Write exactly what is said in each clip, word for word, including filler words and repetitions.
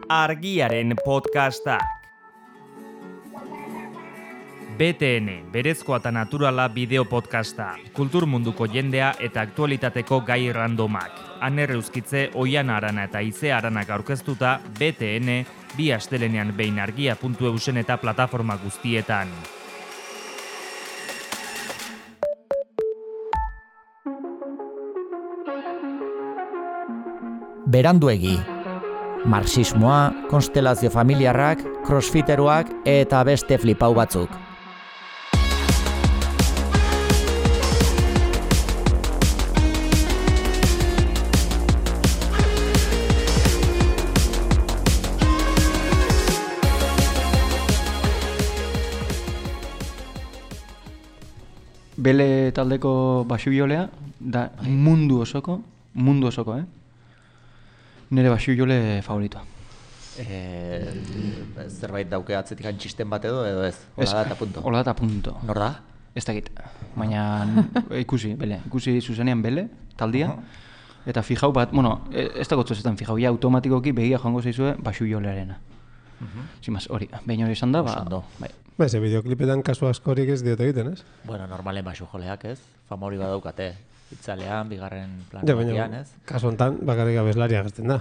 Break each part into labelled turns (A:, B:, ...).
A: Argiaren podcastak. B T N, berezkoa eta naturala bideo podcasta, kultur munduko jendea eta aktualitateko gai randomak. Aner Euskitze, Oiana Arana eta Ize Aranak aurkeztuta B T N, bi astelenean behin argia puntu eusen eta plataforma guztietan.
B: Beranduegi. Marxismoa, konstelazio familiarrak, crossfiteroak eta beste flipau batzuk.
C: Bele taldeko basujolea da mundu osoko, mundu osoko, eh? Nire basujole favoritoa.
B: Eh, zerbait dauke atzetik txisten bat edo edo ez? Hola da eta punto.
C: Hola da eta punto.
B: Nor da?
C: Ez dakit. Baina ikusi, bele. Ikusi zuzenean bele, taldia. Eta fijau bat, bueno, ez dago txosetan fijau, ja automatikoki begia joango zaizue basujolearena. Zimaz, hori, behin hori esan da, ba... Bai.
D: Ba, eze bideoklipetan kasu askorik ez diote egiten, ez?
B: Bueno, normalen basujoleak, ez? Famori badaukate. Itzalean, bigarren
D: Ja,
B: planean,
D: baina,
B: ez?
D: kasu honetan, bakarrik abeslaria gertzen da.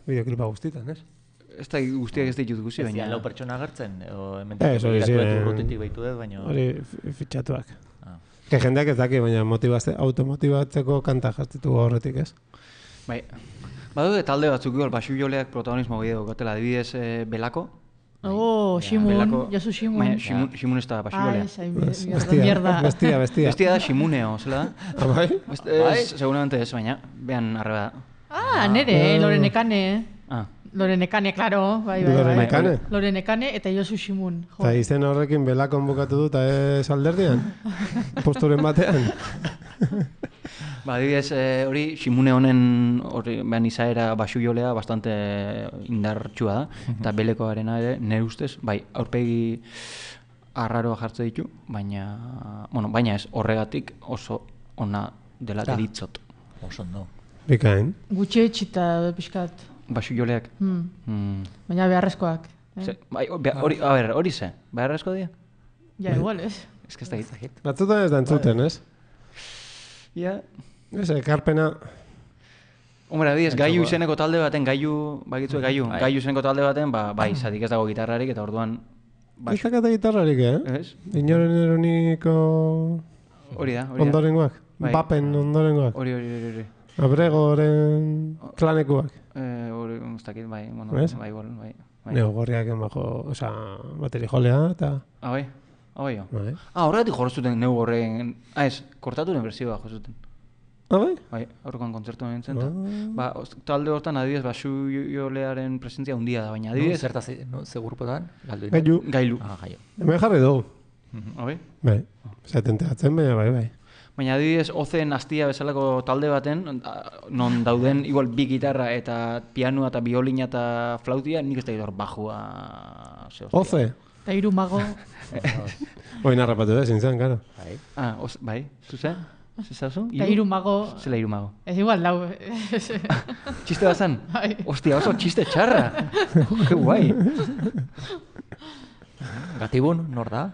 D: Bideoklipa guztietan, ez?
C: Ez da guztiak ez ditut guzi,
B: Ez
C: baina...
B: lau pertsona agertzen? O hemen
D: Ez, hori ziren-
B: urrutitik behitu ez, baina...
D: Hori fi- fitxatuak.
B: Ah.
D: Que jendeak ez daki, baina motivazte, automotibatzeko kanta jartitu horretik, ez?
C: Bai. Badaude talde batzuk igual basujoleak protagonismo gehiago gatela, adibidez eh, Belako.
E: Oh, Ximun,
C: Belako...
E: Josu Ximun.
C: Baina Ximun, Ximun ez da
E: Ah,
C: basujolea.
E: ez, ai, mierda,
D: Bestia,
E: mierda.
D: bestia, bestia.
C: Bestia da Ximuneo, zela da?
D: Ah, bai?
C: Beste, ez, seguramente ez, baina, behan arreba da.
E: Ah, nere, Lorenekane.
C: Ah,
E: Lorenekane, claro, bai, bai, bai.
D: Lorenekane?
E: Lorenekane eta Josu Ximun. Jo.
D: Eta izen horrekin belakon bukatu du, eta ez alderdian? Posturen batean?
C: ba, adibidez, eh, hori Ximune honen hori behan izaera basujolea bastante indartsua da, eta Belekoarena ere, nire ustez, bai, aurpegi arraroa jartze ditu, baina, bueno, baina ez, horregatik oso ona dela
D: Da.
C: deritzot.
B: Oso ondo.
D: Bikain.
E: Gutxe etxita pixkat.
C: Basujoleak.
E: Hmm.
C: Hmm.
E: Baina beharrezkoak. Eh?
C: Ze, bai, o- be- hori, a ber, hori ze, beharrezko dira?
E: Ja, igual, ez?
C: Ez que ez da hit.
D: Batzutan ez da entzuten, ez?
C: Ja,
D: Ez, ekarpena...
C: hombre, adibidez, gaiu izeneko talde baten, gaiu, bagitzue gaiu,
B: Bai.
C: gaiu izeneko talde baten, ba, bai, zatik ez dago gitarrarik, eta orduan,
D: Ez dakate gitarrarik, eh?
C: ez?
D: Inoren eroniko
C: Hori da, hori da.
D: ondorengoak.
C: Bai.
D: Bapen ondorengoak.
C: Hori, hori, hori, hori.
D: Abregoren klanekuak.
C: Eh, hori, ez dakit, bai, bueno,
D: Ez?
C: bai, igual, bai. bai.
D: Neo gorriak emajo, oza, bateri jolea, eta...
C: Ah, bai, ah, bai, jo.
D: Bai.
C: Ah, horregatik jorrozuten neu horren, ah, ez, kortaturen bersioa jozuten.
D: Ah, bai?
C: Bai, aurrekoan kontzertu nintzen, eta, ba, os- talde hortan adibidez, basu jolearen presentzia handia da, baina
B: Adibidez,
C: adibidez,
B: zerta ze, no, ze grupotan? Galdu.
D: Gailu.
C: gailu.
B: Ah, gaio.
D: Hemen jarri dugu.
C: Ah, bai?
D: Bai. Zatenteatzen, baina bai, bai.
C: Baina adibidez, ozen astia bezalako talde baten, a- non dauden igual bi gitarra eta pianoa eta biolina eta flautia, nik ez da hor bajua... ze hostia.
D: Oze.
E: Eta hiru mago.
D: Oin harrapatu da, zintzen, karo.
B: Bai.
C: Ah, os, bai, zuzen? Zezauzu?
E: Eta hiru mago.
C: Zela hiru mago.
E: Ez igual, lau.
C: Txiste bazan?
E: Bai.
C: Ostia, oso txiste txarra! Que guai!
B: Gatibun, nor da?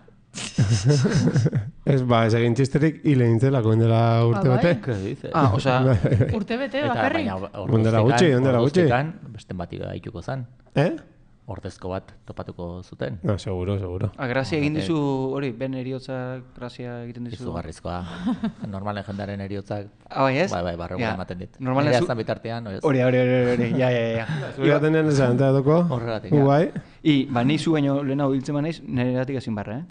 D: Ez, ba, ez egin txisterik hile nintzelako, indela urte
E: Ah, bai?
D: bate.
B: Ke dice?
C: Ah, osea,
E: Urte bete,
B: Eta
E: bakarrik.
B: baina orduztikan-
D: Ondela gutxi, ondela gutxi.
B: orduztikan Beste bati gaituko zan.
D: Eh?
B: Ordezko bat topatuko zuten.
D: No, seguro, seguro.
C: ah, grazia egin dizu, hori, ben eriotza grazia egiten dizu.
B: Izugarrizkoa. Normalen jendaren eriotzak.
C: Ah, bai, ez?
B: Bai, bai, barrego
C: Ja,
B: ematen dit.
C: normalen
B: Nire
C: zu-
B: azan bitartean, ez?
C: Hori, hori, hori, hori, ja, ja, ja.
D: Zure batenean ez anteatuko.
B: Horregatik,
D: Gu bai.
C: I, ba, ni zu baino lehenago hiltzen banaiz, nereratik ezin barra, eh?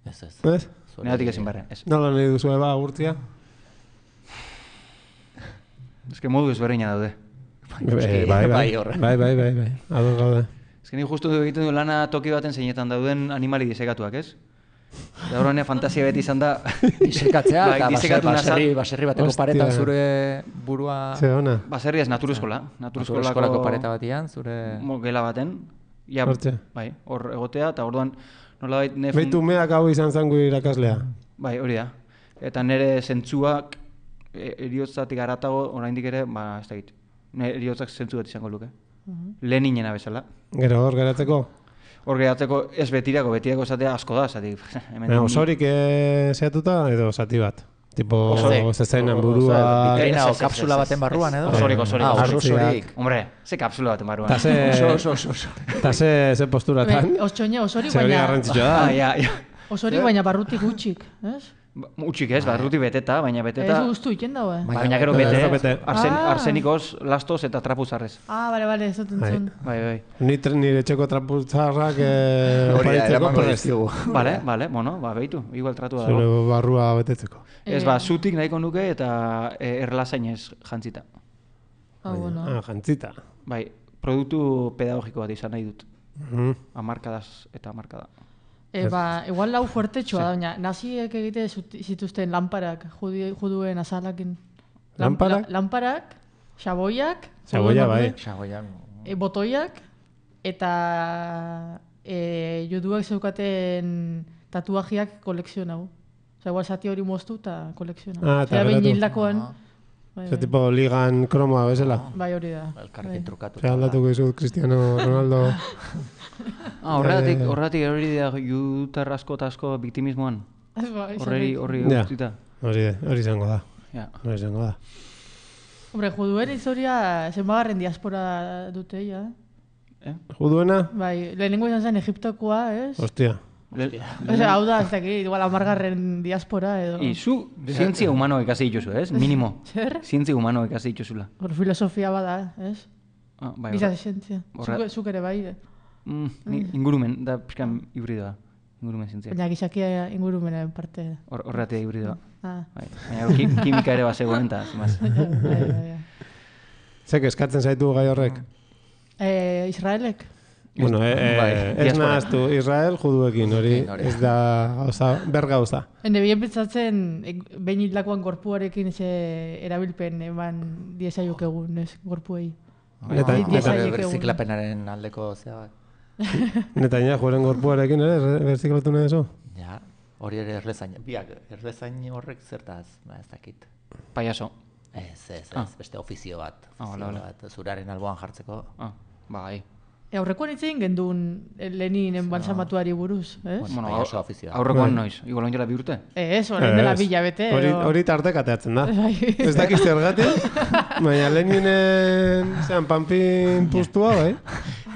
B: Ez, ez.
D: Ez?
C: Nereratik ezin barra, ez.
D: Nola nahi duzu eba agurtzia?
C: Ez que modu ezberdina daude.
D: Eh, bai, bai,
B: bai, horre.
D: bai, bai, bai, bai. Ados gaude.
C: Ez que ni justu egiten du lana toki baten zeinetan dauden animali disekatuak, ez? Eta horrenean fantasia beti izan da...
B: Disekatzea,
C: Bai,
B: eta baser,
C: disekatu
B: baserri,
C: nazal-
B: baserri bateko
D: Hostia.
B: paretan zure burua...
D: Ze ona.
C: Baserria ez natureskola.
B: Natureskolako
C: Natureskolako
B: pareta batean, zure...
C: mo- gela baten. Ja,
D: Hortxe.
C: bai, hor egotea, eta orduan nolabait ne...
D: Beitu meak hau izan zango irakaslea.
C: Bai, hori da. Eta nire zentzuak e, eriotzatik haratago oraindik ere, ba, ez dakit. Nire eriotzak zentzu bat izango luke. Leninena bezala.
D: Gero hor geratzeko.
C: Hor geratzeko ez betirako, betirako esatea asko da, zatik.
D: Baina osorik eh, zehatuta edo zati bat? Tipo,
C: Osorik.
D: zezenan burua...
B: Vitrina o
C: Ez, ez, ez,
B: kapsula
C: ez,
B: baten barruan edo?
C: Osorik, osorik,
B: Ah,
C: osorik.
B: osorik.
C: Hombre, ze kapsula baten barruan.
D: Ta ze...
B: Oso, oso, oso.
D: Ta ze, ze posturatan?
E: Ostxoina, osorik,
D: Ze hori
E: baina...
D: garrantzitsua da.
C: Ah, ja, ja.
E: Osorik, baina barrutik gutxik, ez?
C: Utxik ez, barruti beteta, baina beteta...
E: Ez guztu iten dago, eh?
C: Baina gero
D: Baina
C: bete,
D: gero bete.
C: arsen,
E: Ah.
C: arsenikoz, lastos eta trapuzarrez.
E: Ah, bale, bale, ez dut
D: Bai.
E: entzun.
C: Bai, bai.
D: Ni tre- nire etxeko traputzarrak eh,
B: Hori da,
D: oparitzeko
B: eramango
D: prest.
B: dizkigu.
C: Bale, bale, bueno, ba, behitu, igual tratu da
D: Zure
C: dago.
D: barrua betetzeko.
C: Ez, ba, zutik nahiko nuke eta e, erlazainez jantzita.
E: Ah, bueno.
D: Ah, jantzita.
C: Bai, produktu pedagogiko bat izan nahi dut.
D: Mhm.
C: Amarkadaz eta amarkada.
E: E, ba, igual lau fuertetxoa da, baina naziek egite zut- zituzten lanparak, judi, juduen azalakin. Lam-
D: Lanparak?
E: la- Lanparak, xaboiak,
D: Xaboia,
E: juduen
D: bai.
E: bakuek,
B: Xagoian.
E: e, botoiak, eta e, juduak zeukaten tatuajiak kolekzion hau. Osa, igual zati hori moztu eta kolekzion hau.
D: Ah, eta
E: Zera behin
D: geratu.
E: hildakoan, bai,
D: Ze
E: bai.
D: tipo ligan kromoa bezala.
E: Bai, hori da.
B: Elkarrekin trukatu.
D: Ze aldatuko izut Cristiano Ronaldo.
C: Ah, horregatik, horregatik hori da judutar asko eta asko biktimismoan.
E: Bai,
C: Horreri, horri
D: Ja.
C: guztita.
D: Hori, hori izango da.
C: Ja.
D: Hori izango da.
E: Hombre, juduen historia zenbagarren diaspora dute, ja.
C: Eh?
D: Juduena?
E: Bai, lehenengo izan zen Egiptokoa, ez?
D: Hostia.
C: Le,
E: Osea, hau da, ez dakit, igual amargarren diaspora edo...
C: I, zu zientzia humano ikasi dituzu, ez? Minimo.
E: Zer?
C: Zientzia humano ikasi dituzula.
E: Hor filosofia bada, ez?
C: Ah, bai,
E: Giza
C: horre-
E: zientzia.
C: horre-
E: Zuk, zuk ere bai, eh?
C: Mm, ni, ingurumen, da pixkan hibridoa. Ingurumen zientzia.
E: Baina gizakia ingurumenen parte da.
C: Hor, horregatik hibridoa.
E: Ah,
C: Bai. Baina gero ki, kimika ere bazegoen eta, zimaz.
E: bai, bai, bai.
D: Zek eskatzen zaitu gai horrek?
E: Eh, Israelek?
D: Bueno, eh, eh,
B: Bai,
D: ez
C: diaspora.
D: nahaztu Israel juduekin, hori
B: Hori.
D: ez da gauza, ber gauza.
E: Hende bien pentsatzen, ek- behin hildakoan gorpuarekin ze erabilpen eman diesaiok egun, ez, gorpuei.
D: Neta,
E: Bai,
D: neta,
E: diezaiek egun.
B: Berziklapenaren aldeko zea bat.
D: neta joren gorpuarekin ere, re- berziklatu nahi eso?
B: Ja, hori ere erlezain. Biak, erlezain horrek zertaz, ba, ez dakit.
C: Payaso.
B: Ez, ez, ez,
C: Ah.
B: beste ofizio bat.
C: Ah,
B: Ofizio
C: hola, hola.
B: bat, zuraren alboan jartzeko.
C: Ah, bai.
E: E, aurrekoan hitzein genduen Leninen balsamatuari buruz, ez?
C: Bueno,
B: Payaso
C: aur-
B: ofizioa.
C: aurrekoan
D: Bai.
C: noiz, igual oin dela bi urte.
E: Ez, orain dela
D: Ez.
E: bila bete.
D: Hori,
E: edo-
D: hori tartek ateatzen da.
E: Bai.
D: Ez dakiz zergatik, baina Leninen zean panpin pustua, bai?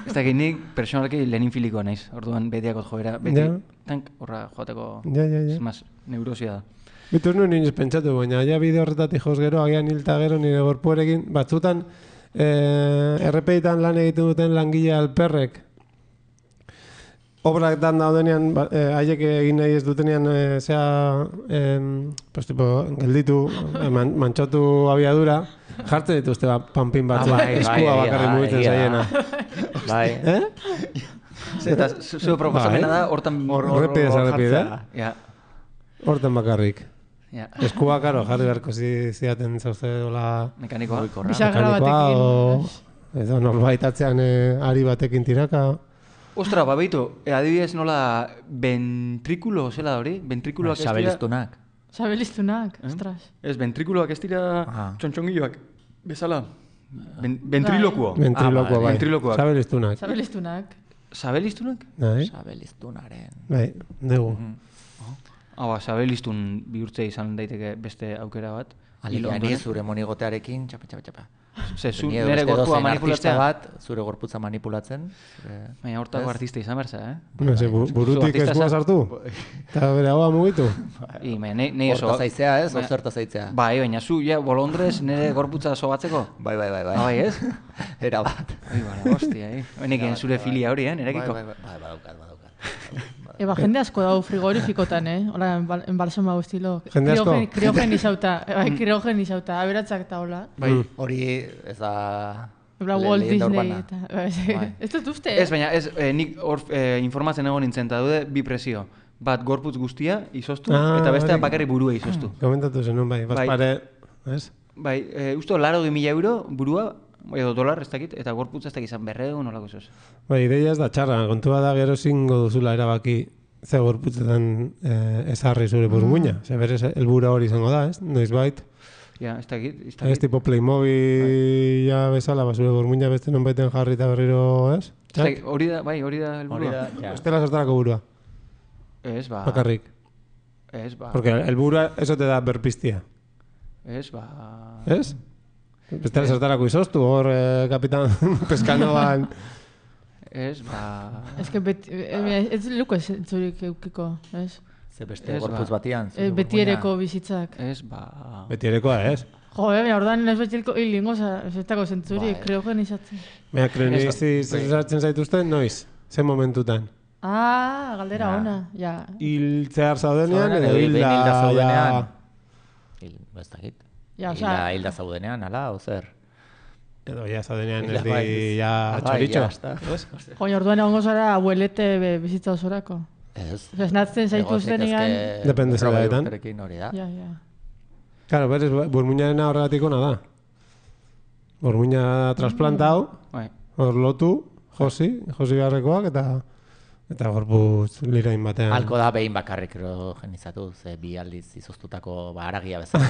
C: Ez dakit nik personalki lenin filikoa naiz. Orduan bediakot joera, beti
D: Ja.
C: tank horra joateko
D: Ja, ja, ja.
C: zimaz, neurosia da.
D: Bitu ez nuen inoiz pentsatu, baina ja bide horretatik joz gero, agian hilta gero nire gorpuarekin, batzutan eh, errepeitan lan egiten duten langile alperrek, obrak dan daudenean, ba, eh, haiek egin nahi ez dutenean, eh, zea, eh, pues, tipo, gelditu, eh, man, mantxotu abiadura, jartzen dituzte ba, panpin batzuk,
B: Ah, bai,
D: eskua
B: bai,
D: bakarrik
B: egia,
D: mugitzen
B: egia.
D: zaiena.
B: Bai.
D: Eh?
C: Eta zu- zure proposamena
D: Bai.
C: da, hortan...
B: Hor- hor-
D: Errepidez,
B: hor
D: errepide.
B: jartzea.
C: Ja,
D: Horten bakarrik.
C: ja.
D: Eskua, karo, jarri beharko zi, ziaten zauzte dola
C: Mekanikoa.
E: Bisagra
D: mekanikoa
E: batekin.
D: o edo norbait atzean eh, ari batekin tiraka.
C: Ostra, babeitu, e, adibidez nola ventrikulo zela da hori? Ventrikuloak ez dira...
B: Sabeliztunak.
E: Sabeliztunak, ostras.
C: Ez, ventrikuloak ez dira
B: Ah.
C: txontxongiloak. Bezala. Ben, ventrilokuo.
D: Ventrilokoa
B: Ah, bai.
D: bai.
C: Ventrilokoak.
D: Sabeliztunak.
E: Sabeliztunak.
C: Sabeliztunak?
D: Bai,
B: Sabeliztunaren.
D: bai, dugu.
C: Hau, ba, sabeliztun bihurtzea izan daiteke beste aukera bat.
B: Alegia,
C: Hil
B: ni
C: ondoren.
B: zure monigotearekin, txapa, txapa, txapa.
C: Ze, zu
B: Ni edo
C: nere
B: beste
C: gorpua
B: edozein artista
C: manipulatzea.
B: bat, zure gorputza manipulatzen. Zure...
C: Baina hortako
B: Ez?
C: artista izan berza, eh?
D: No, ze, bu- burutik
C: artista
D: eskua
C: za-
D: sartu. Eta bere haua mugitu.
C: I, baina, ne, ne oso...
B: Horta zaizea, ez?
C: Baina-
B: Ozerta zaitzea.
C: Bai, baina zu, ja, bolondrez nere gorputza sobatzeko?
B: Bai, bai, bai, bai.
C: Ah, bai, ez?
B: Era bat.
C: Ai, bara, hostia, eh? Honekin zure filia hori, eh?
B: Bai,
C: Nerekiko.
B: bai, bai, bai, badaukat, badaukat.
E: Eba, jende asko dago frigorifikotan, eh? Hola, enbal- enbalsama estilo.
D: Jende asko?
E: Kriogen- Kriogenizauta, bai, kriogenizauta, aberatzak eta hola.
B: Bai, hori ez da...
E: Ebla
B: le-
E: Walt
B: leyenda
E: Disney
B: urbana.
E: eta... bai,
B: Bai.
E: Ez dut uste,
C: Ez, baina, ez, eh, nik hor eh, informatzen egon nintzen, eta daude bi presio. Bat gorputz guztia izoztu,
D: Ah,
C: eta bestea
D: hori.
C: bakarrik burua izoztu.
D: Komentatu zenun bai,
C: Bai.
D: bazpare, ez?
C: Bai, e, usto, laro di mila euro burua, edo dolar ez dakit, eta gorputza ez dakit izan berreun, olako zoz.
D: Bai, ideia ez da txarra, kontua da gero zingo duzula erabaki ze gorputzetan eh, ezarri zure burmuina. Ze berez helbura hori izango da, ez? Noizbait,
C: Ja, ez dakit, ez
D: Ez
C: dakit.
D: tipo Playmobil ja bezala, basure burmuina beste non baiten jarri eta berriro, ez?
C: Ez dakit, hori da, bai, hori da
B: Hori
C: helburua.
B: da, ja.
D: Estela sortarako burua,
C: Ez, ba...
D: bakarrik.
C: Ez, ba...
D: Porque el burua eso te da berpiztia,
C: Ez, ba...
D: ez? Bestela sortarako izoztu, hor eh, kapitan Peskanoan.
C: Ez, ba...
E: Ez que beti, eh, ez luko ez zurik eukiko, ez?
B: Ze beste
C: Ez,
B: gorputz
C: ba.
B: batian.
E: Eh, betiereko bizitzak.
C: Ez, ba...
D: Beti erekoa, ez?
E: Jo, eh, ordan ez betiereko hilingo, ez etako zentzurik,
B: Bai.
E: kriogenizatzen.
D: Baina, krenizi zertzen zaituzten, noiz? Ze momentutan?
E: Ah, galdera
B: Ja.
E: ona, ja.
D: Hiltzear zaudenean,
B: Zaudenean,
D: edo
B: edo
D: hilda,
B: behin hilda zaudenean.
D: ja...
B: Hil, ez dakit.
E: Ja,
B: Hilda,
E: osea,
B: hilda zaudenean, ala, o zer?
D: Edo ja zaudenean
B: Hilda
D: ez di,
B: bai,
D: ja
B: bai,
D: txoritxo.
B: ja, ezta.
E: joan orduan egongo zara abuelete be- bizitza osorako.
B: Ez.
E: Osea, esnatzen zaituztenean...
D: Depende zelaetan.
B: Urterekin hori da.
E: Ja, ja.
D: Claro, berez, burmuinarena horregatik ona da. Burmuina trasplantau,
C: Bai.
D: hor lotu, josi, josi beharrekoak, eta eta gorputz lirain batean.
B: Halko da behin bakarrik kriogenitzatu, ze bi aldiz izoztutako ba, haragia bezala.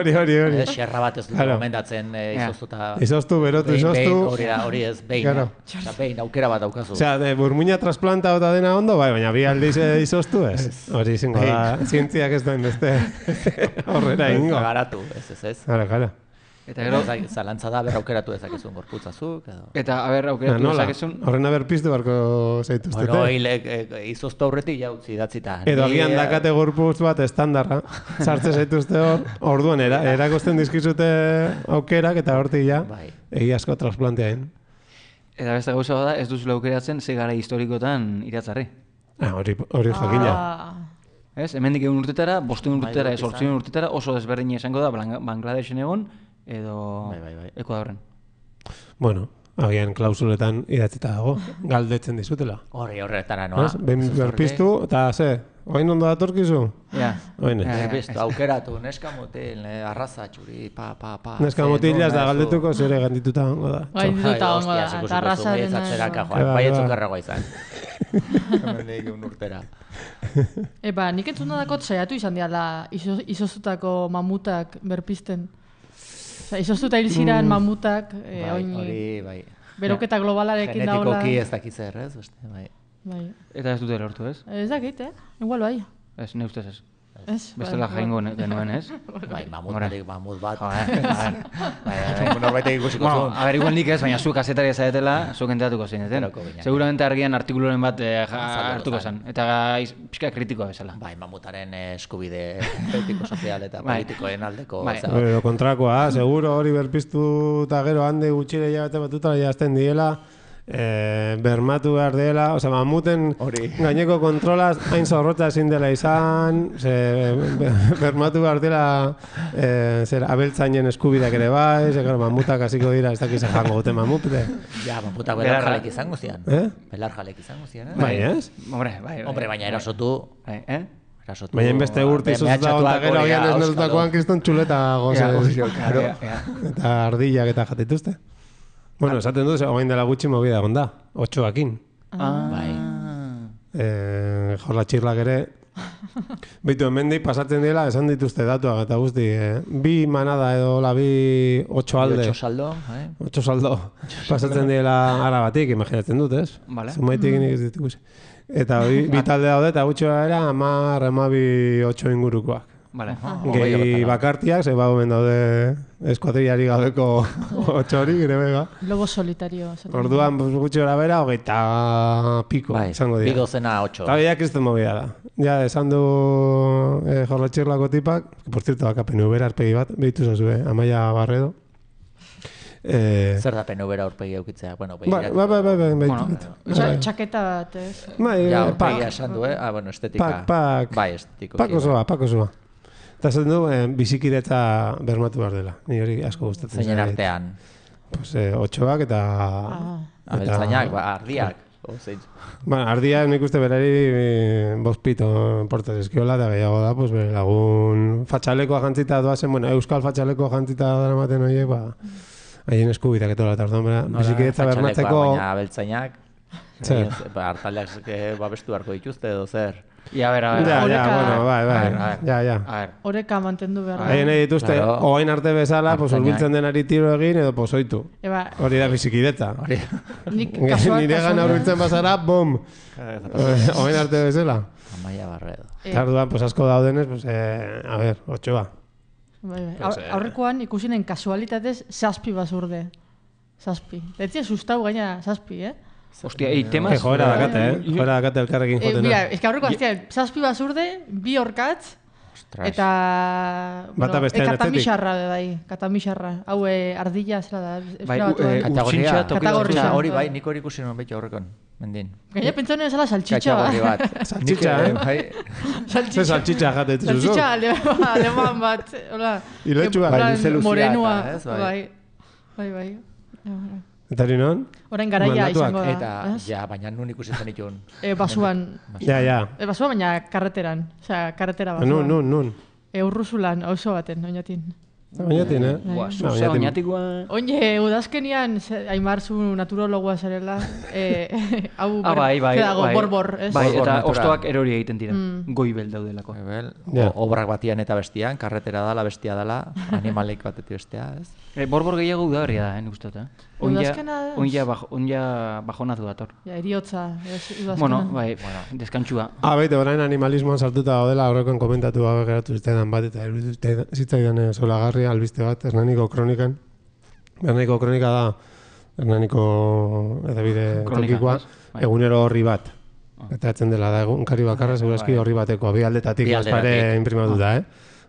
D: hori, hori, hori.
B: Ez, xerra bat ez dut
D: Claro.
B: gomendatzen eh,
C: Ja.
B: izoztuta...
D: Izoztu, berotu,
B: Behin, behin,
D: izoztu.
B: hori da, hori ez, behin.
D: Claro.
B: eh? Osea, behin, aukera bat daukazu.
D: Osea, de burmuina trasplanta eta dena ondo, bai, baina bi aldiz eh, izoztu ez. Hori izango da, zientziak ez da beste horrera ingo.
B: Garatu, ez, ez, ez.
D: Claro, claro.
C: Eta gero...
B: Ez, zalantza da, berra aukeratu dezakezun gorputzazuk, edo...
C: Eta, a ber,
D: Ja,
C: aukeratu
D: nola,
C: dezakezun...
D: horrena berpiztu barko zaituztete.
B: Bueno, hilek e, izoztu aurretik jautzi idatzita.
D: Edo
B: Ni,
D: agian
B: eh,
D: dakate gorputz bat estandarra, sartze zaituzte hor, orduan era, erakusten dizkizute aukerak eta hortik ja,
B: Bai.
D: egia asko transplanteain.
C: Eta beste gauza bada, ez duzula aukeratzen ze gara historikotan iratzarri.
D: Ah, hori, hori jakina.
E: Ah,
C: Ez, hemendik egun urtetara, bosteun
B: Bai,
C: urtetara,
B: bai,
C: sortzion
B: izan.
C: urtetara oso desberdina izango da Blang- Bangladesen egon, edo
B: Bai, bai, bai.
C: Ekuadorren.
D: Bueno, agian klausuletan idatzita dago, galdetzen dizutela.
B: Hori horretara noa.
D: Ez? Behin berpiztu, eta ze, oain ondo datorkizu?
C: Ja.
D: Oain ez.
C: Ja, ja.
B: Berpiztu, aukeratu, neska motil, eh, arraza txuri, pa, pa, pa.
D: Neska
B: ze,
D: motila ez da
B: nona, zu.
D: galdetuko zure gandituta hongo da.
E: gai
B: Ai,
E: dituta ongo
B: hostia,
E: da,
B: ikusiko
E: eta
B: zu,
E: arrazaren...
B: baietz atzeraka,
D: Eba,
B: joan, baietz
D: eba.
B: okerragoa izan. Hemendik egun urtera.
E: Eba, nik entzun dakot saiatu izan diala izo, izoztutako mamutak berpizten. Osea, izoztuta hil ziren mamutak, e,
B: Bai,
E: oin,
B: hori, bai.
E: beroketa globalarekin daula.
B: Genetikoki ez dakiz zer, ez? Beste, bai.
E: Bai.
C: Eta ez dute lortu, ez?
E: Ez dakit, eh? Igual bai.
C: Ez, ne ustez ez.
E: Ez,
C: Bestela
E: bai,
C: jaingo
E: bai.
C: ne- genuen, ez?
B: Bai, mamut,
C: Hombre.
B: barik, mamut bat.
C: Jo, eh, a ver.
B: Bai, bai, norbaitek ikusiko
C: Bueno,
B: zuen.
C: a ver, igual nik ez, baina zuk azetaria zaretela, zuk enteratuko zineten.
B: Enterako ginak.
C: Seguramente argian artikuluren bat eh, ja,
B: Azalduko
C: hartuko
B: zen.
C: zen. Eta iz- pixka kritikoa bezala.
B: Bai, mamutaren eh, eskubide etiko, sozial eta
C: Bai.
B: politikoen aldeko.
C: Bai.
B: zera.
D: Edo kontrakoa, seguro hori berpiztu eta gero hande gutxire jabete batuta jazten diela, eh, bermatu behar dela, osea, mamuten
B: Hori.
D: gaineko kontrolaz hain zorrotza ezin dela izan, ze, be- bermatu behar dela eh, zer, abeltzainen eskubideak ere bai, ze, claro, mamutak hasiko dira, ez dakiz jango dute mamute.
B: Ja, mamutak
C: Belarra.
B: belarjalek izango zian.
D: Eh?
B: Belarjalek izango zian, eh?
D: Bai, ez?
C: Hombre, bai, bai.
B: Hombre, baina erasotu,
C: Bai, eh?
B: erasotu.
D: Baina beste urte
B: be-
D: izuzuta
B: mehatxatuak
D: eta gero
B: hori,
D: agian ez
B: auskalo.
D: nerutakoan kriston txuleta goze.
C: Ja,
B: claro.
C: ja, ja.
D: Eta ardillak eta jatituzte. Bueno, esaten dut, oain dela gutxi movida egon da, otxoakin.
C: Ah,
B: Bai.
D: Eh, jorla txirlak ere. Beitu, hemendik pasatzen dela, esan dituzte datuak eta guzti. Eh, bi manada edo la bi otxo alde.
B: Otxo saldo, eh?
D: Otxo saldo. Pasatzen dela arabatik, imaginatzen dut, ez?
C: Vale.
D: Zumaitik nik ez ditugu. Eta bi, bi talde daude, eta gutxoa era amar, amabi otxo ingurukoak.
C: Vale.
D: Gehi bakartiak, ze bau hemen daude eskuadriari gabeko otxorik, ere bega.
E: Lobo solitario. esaten
D: Orduan, pues, gutxi gora bera, hogeita piko,
B: Bai,
D: izango
B: bi
D: dira.
B: dozena otxo.
D: Eta ja, kriston movida da. Ja, esan du eh, jorlatxirlako tipak, que por cierto, bakapen ubera arpegi bat, behitu zazue, Amaia Barredo. Eh,
B: Zer da penubera aurpegi eukitzea? Bueno,
D: bai, bai, bai, bai, bai,
C: Bueno,
D: behitu.
E: du. Txa- Txaketa bat, ez?
D: Bai,
B: Ja,
D: eh,
B: aurpegia
D: pak,
B: esan du, eh? Ah, bueno, estetika.
D: pak, pak.
B: Bai, estetiko.
D: Pak osoa, pak osoa. Eta esan du, eh, bizikidetza bermatu behar dela. Ni hori asko gustatzen
B: Zeinen
D: zait.
B: artean.
D: Pues, eh, otxoak eta...
E: Ah.
B: Abeltzainak, ba, ardiak. O, zein.
D: Ba, ardia nik uste berari eh, bozpito portaz eskiola, eta gehiago da, pues, bere lagun fatxalekoa jantzita doazen, bueno, euskal fatxalekoa jantzita daramaten horiek, ba, haien eskubitak etola, eta orduan, bera, bizikidetza
B: Fatxalekoa,
D: bermatzeko,
B: Baina abeltzainak,
D: Zer.
B: Ba, hartaleak eh, babestu beharko dituzte edo zer.
C: Ja, a ber, a ber.
D: Ja, ja,
E: Oreka-
D: bueno, bai, bai.
C: A ver, a ver.
D: Ja, ja.
C: A ver.
E: Oreka mantendu behar da.
D: Haien nahi dituzte,
B: Claro.
D: oain arte bezala, pues,
C: Artzainak.
D: urbiltzen denari tiro egin edo pozoitu.
E: Eba,
D: Hori da bizikidetza.
E: nik kasuak...
D: Nire gana urbiltzen bazara, bom! Oain arte bezala.
B: Amaia Barredo.
E: Eh,
D: Eta orduan, pues asko daudenez, pues, eh, a ver, otxoa.
E: Bai, bai. Aur, aurrekoan ikusinen kasualitatez zazpi basurde. Zazpi. Letzia sustau gaina zazpi, eh?
C: Hostia, ei, temas...
D: Que joera dakate, eh? Joera dakate elkarrekin
E: Eh,
D: jotena.
E: mira, ez que aurreko aztean, zazpi basurde, bi horkatz,
B: Ostras.
E: eta...
D: Bata bestearen
E: e,
D: atzetik.
E: katamixarra da, bai, katamixarra. Hau, eh, ardilla zela da.
C: Bai,
E: euskara batuan.
C: eh,
B: Kategoria.
C: urtsintxa toki
E: Kategoria.
C: bakoitza.
B: Hori bai, nik hori ikusi nuen beti aurrekon, mendin.
E: Gaina pentsa honen zela saltxitxa,
B: Katxagorri
E: ba.
B: bat.
D: Saltxitxa,
B: Nik,
D: eh?
B: Bai,
D: Ze saltxitxa jate dituzu.
E: Saltxitxa ale- aleman bat, hola.
D: Iletxua.
E: en plan
B: Bai, luze luzea
E: morenua,
B: eta, ez, bai.
E: bai. Bai, bai. Ja, bai.
D: Eta hori non?
E: Orain garaia
D: Mandatuak.
E: izango da.
B: eta,
E: ez?
B: ja, baina nun ikusi zen itun.
E: E, basuan.
D: Ja, ja.
E: E, basuan, baina karreteran. Osea, karretera basuan.
D: Nun, nun, nun.
E: E, urruzulan, auzo baten, oinatin.
D: Oinatin, eh?
C: Buah,
D: Ba,
C: zuza,
D: oinatin.
C: oinatikoa...
E: Oine, udazkenian, ze- Aimar zu naturologoa zarela, e, hau
C: Ah, bai, bai,
E: zer dago,
C: bai.
E: borbor, ez?
C: Bai,
B: Borbor
C: eta
B: natura.
C: ostoak erori egiten dira.
E: Mm.
C: Goibel daudelako.
B: Ebel,
D: Ja.
B: o- obrak batian eta bestian, karretera dala, bestia dala, animalik batetik bestea, ez?
C: E, borbor gehiago udaberria da, eh, nik uste dut, eh?
E: Udazkena ez?
C: Onja, bajo, onja bajonatu dator.
E: Ja, eriotza, ez, udazkena.
C: Bueno, bai, bueno, deskantsua.
D: Ah, baita, orain animalismoan sartuta gaudela, aurrekoan komentatu gabe geratu zitaidan bat, eta iruditu zitzaidan eh, solagarria albiste bat, Hernaniko kronikan. Hernaniko kronika da, Hernaniko edabide
C: Kronika,
D: tokikoa,
C: ez? Bai.
D: egunero horri bat. Eta etzen dela da, egunkari bakarra, segurazki horri bateko, bi aldetatik,
B: Bi
D: bazpare
B: aldetatik.
D: imprimatuta, eh?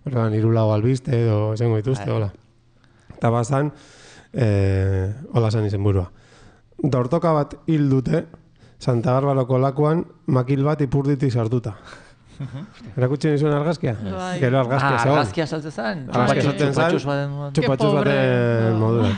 D: Orduan, hiru albiste edo esango dituzte, hola. Eta bazan, eh, hola zan izen burua. Dortoka bat hil dute, Santa Barbaroko lakuan, makil bat ipurditik sartuta. Erakutsi nizuen argazkia?
E: Bai.
D: Gero argazkia
B: Ah,
D: zegoen.
B: argazkia saltze zen?
D: Argazkia saltzen zen.
B: Txupatxuz baten moduan.
D: Txupatxuz
E: Ke pobre.
D: baten modura.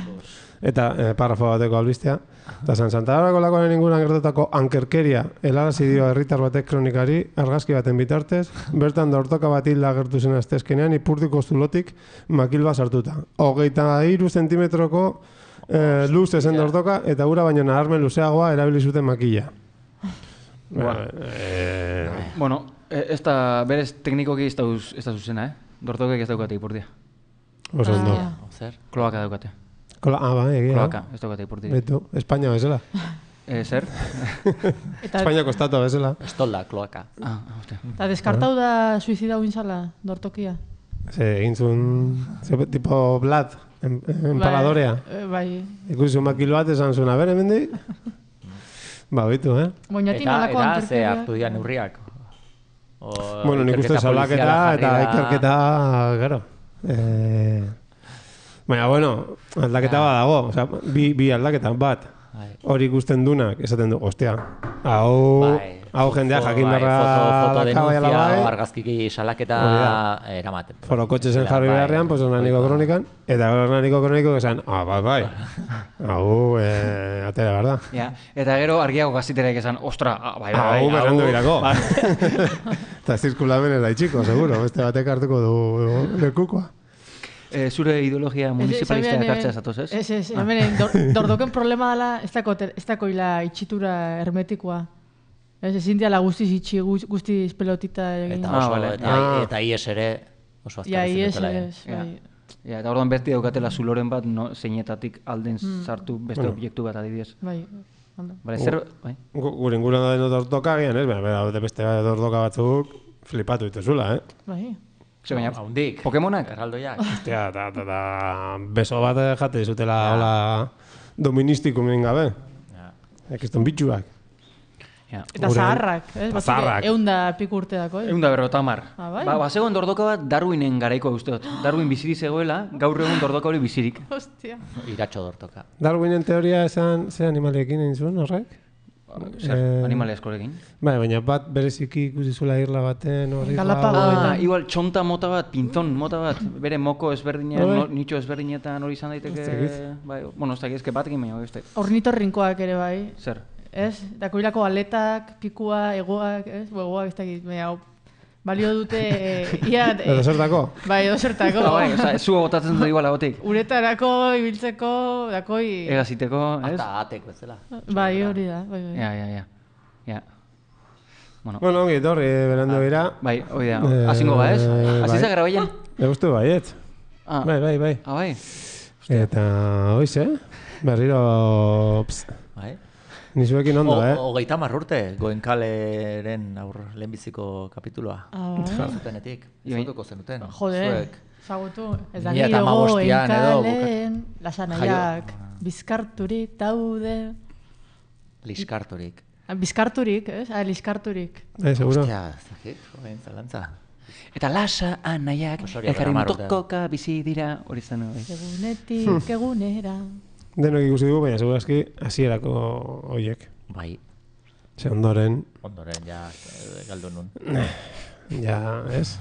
D: Eta eh, parrafo bateko albistea. Eta San Santa Barbarako lakuan inguruan gertatako ankerkeria helarazi dio herritar batek kronikari argazki baten bitartez, bertan dortoka bat hil agertu zen astezkenean ipurdiko zulotik makil bat sartuta. Hogeita hiru zentimetroko eh, luz ezen dortoka eta ura baino naharmen luzeagoa erabili zuten makila.
C: Buah.
D: Eh,
C: Bueno, eh, ez da, berez teknikoki ez da, uz- ez da zuzena, eh? Dortokek ez daukate ipurtia.
D: oso ondo.
E: Ah.
B: Zer?
C: Kloaka daukate.
D: Kola, ah, bai, egia.
C: Kloaka, ez daukate ipurtia.
D: Betu, Espainia bezala.
C: Eh, zer?
E: Eta,
D: Espainiako estatua bezala.
B: Estolda, kloaka.
C: Ah, hostia.
E: eta deskartau da suizida uinzala, dortokia.
D: Ze, egin zuen, ze, tipo Vlad, en, empaladorea.
E: Bai, eh, bai.
D: Ikusi zuen makilo bat esan zuen, a ber, hemendik? Ba, bitu, eh?
E: Moñatin
B: Eta,
E: alako
B: eta ze
E: ankerkeria.
B: hartu dira neurriak. O,
D: Bueno, nik uste
B: ikerketa
D: salaketa
B: poliziala
D: eta
B: jarri da.
D: ikerketa, claro. Eh, baina, bueno, aldaketa badago, o sea, bi, bi aldaketa, bat.
B: Bai.
D: Hori ikusten dunak, esaten du, ostia, hau,
B: Bai.
D: hau jendea
B: Fo-
D: jakin
B: bai,
D: barra
B: foto, foto
D: daka bai ala
B: denuncia,
D: bai.
B: argazkiki salaketa
D: Hori da.
B: eramaten.
D: Forokotxe zen jarri
B: Bai.
D: beharrean, pues Hernaniko kronikan, eta Hernaniko kronikok esan, ah, bai, bai, hau, eh, atera, behar da.
C: Ja, eta gero argiago gaziteraik esan, ostra, ah, bai, bai, bai,
D: Hau, berrandu birako.
C: Bai.
D: Eta zirkulamen ez da itxiko, seguro, beste batek hartuko du lekukoa.
C: Eh, zure ideologia municipalista ekartzea zatoz, ez?
E: Ez, ez, hemen dor, dordoken problema dela, ez dako, ter- ez dako ila itxitura hermetikoa. Ez, ezin diala guztiz itxi, guz- guztiz pelotita egin.
B: Eta
C: Ah,
B: oso,
C: vale.
B: eta,
D: Ah.
B: eta ies ere oso
E: Ja,
B: azkarrezen
E: ies,
B: dutela.
E: ez,
C: Ja.
E: bai.
C: Ja, eta orduan beti daukatela zuloren bat, no, zeinetatik alden sartu beste
D: Bueno.
C: objektu bat adibidez.
E: Bai, ondo.
C: Bale, zer, bai?
D: Gu- Gure inguruan da deno dortoka gian, ez? Baina, bera, beste dortoka batzuk flipatu dituzula, eh?
E: Bai.
C: Ze baina,
B: Haundik.
C: Pokemonak?
B: Erraldoiak.
D: Ostia, eta, eta, eta, beso bat jate dizutela, hola, doministikumen gabe.
B: Ja.
D: Ekiston bitxuak.
C: Ja.
E: Eta
D: Gure-
E: zaharrak, ez?
D: Eta zaharrak.
E: Eunda pik urteako, eh?
C: Egun da berrota hamar.
E: Ah, bai?
C: Ba, bazegoen dordoka bat Darwinen garaiko uste dut. Darwin bizirik zegoela, gaur egun dordoka hori bizirik.
E: Hostia.
B: Iratxo dortoka.
D: Darwinen teoria esan, ze animalekin egin zuen horrek?
C: Zer,
D: Eh,
C: animale askorekin.
D: Bai, baina bat bereziki ikusi zuela irla baten hori.
E: Galapago.
C: Ah,
E: eta-
C: igual txonta mota bat, pinzon mota bat, bere moko ezberdinean,
D: Bai.
C: no, nitxo ezberdinetan hori izan daiteke,
D: Ez dakit.
C: bai, bueno, ez dakit, batekin baina, beste.
E: Ornitorrinkoak ere bai.
C: Zer?
E: Ez? Dako hilako aletak, pikua, egoak, ez? Bo, egoak ez dakit, baina hau, balio dute eh, ia...
D: Edo zertako?
E: Bai, edo zertako.
C: Ah, bai, oza, zu botatzen dut igual agotik.
E: Uretarako, ibiltzeko, dakoi...
C: Egaziteko, ez?
B: Hasta atek bezala.
E: Bai, hori da, bai, bai.
C: Ja, ja, ja. Ja. Bueno,
D: Bueno, ongi, torri, berando gira.
C: bai, hoi da.
D: Eh,
C: Azingo ba, ez?
D: bai.
C: Azizak grabaien?
D: Egustu baiet.
C: Ah,
D: Bai, bai, bai.
C: ah, bai.
D: Eta, hoize, berriro, ps,
B: Bai.
D: nizuekin ondo, eh?
B: Hogeita hamar urte, Goenkaleren aur lehenbiziko kapituloa.
E: Ah, bai.
B: Zutenetik,
C: Bai.
B: zutuko zenuten.
E: Jode,
B: Zuek.
E: zagutu. Ez da
B: Mila eta
E: giro
B: hamabostean edo,
E: goenkalen, lasanaiak, bizkarturik daude.
B: Liskarturik.
E: Ah, bizkarturik, ez? Ah, liskarturik.
D: Bai, seguro.
B: Hostia, ez dakit, joen zalantza.
C: Eta lasa anaiak,
B: Osorio
C: elkarri
B: Gramar
C: motokoka bizi dira, hori zen, bai.
E: Egunetik egunera.
D: Denok ikusi dugu, baina segurazki hasierako hoiek.
B: Bai,
D: Ze ondoren,
B: ondoren ja eh, galdu nun.
D: ja, ez?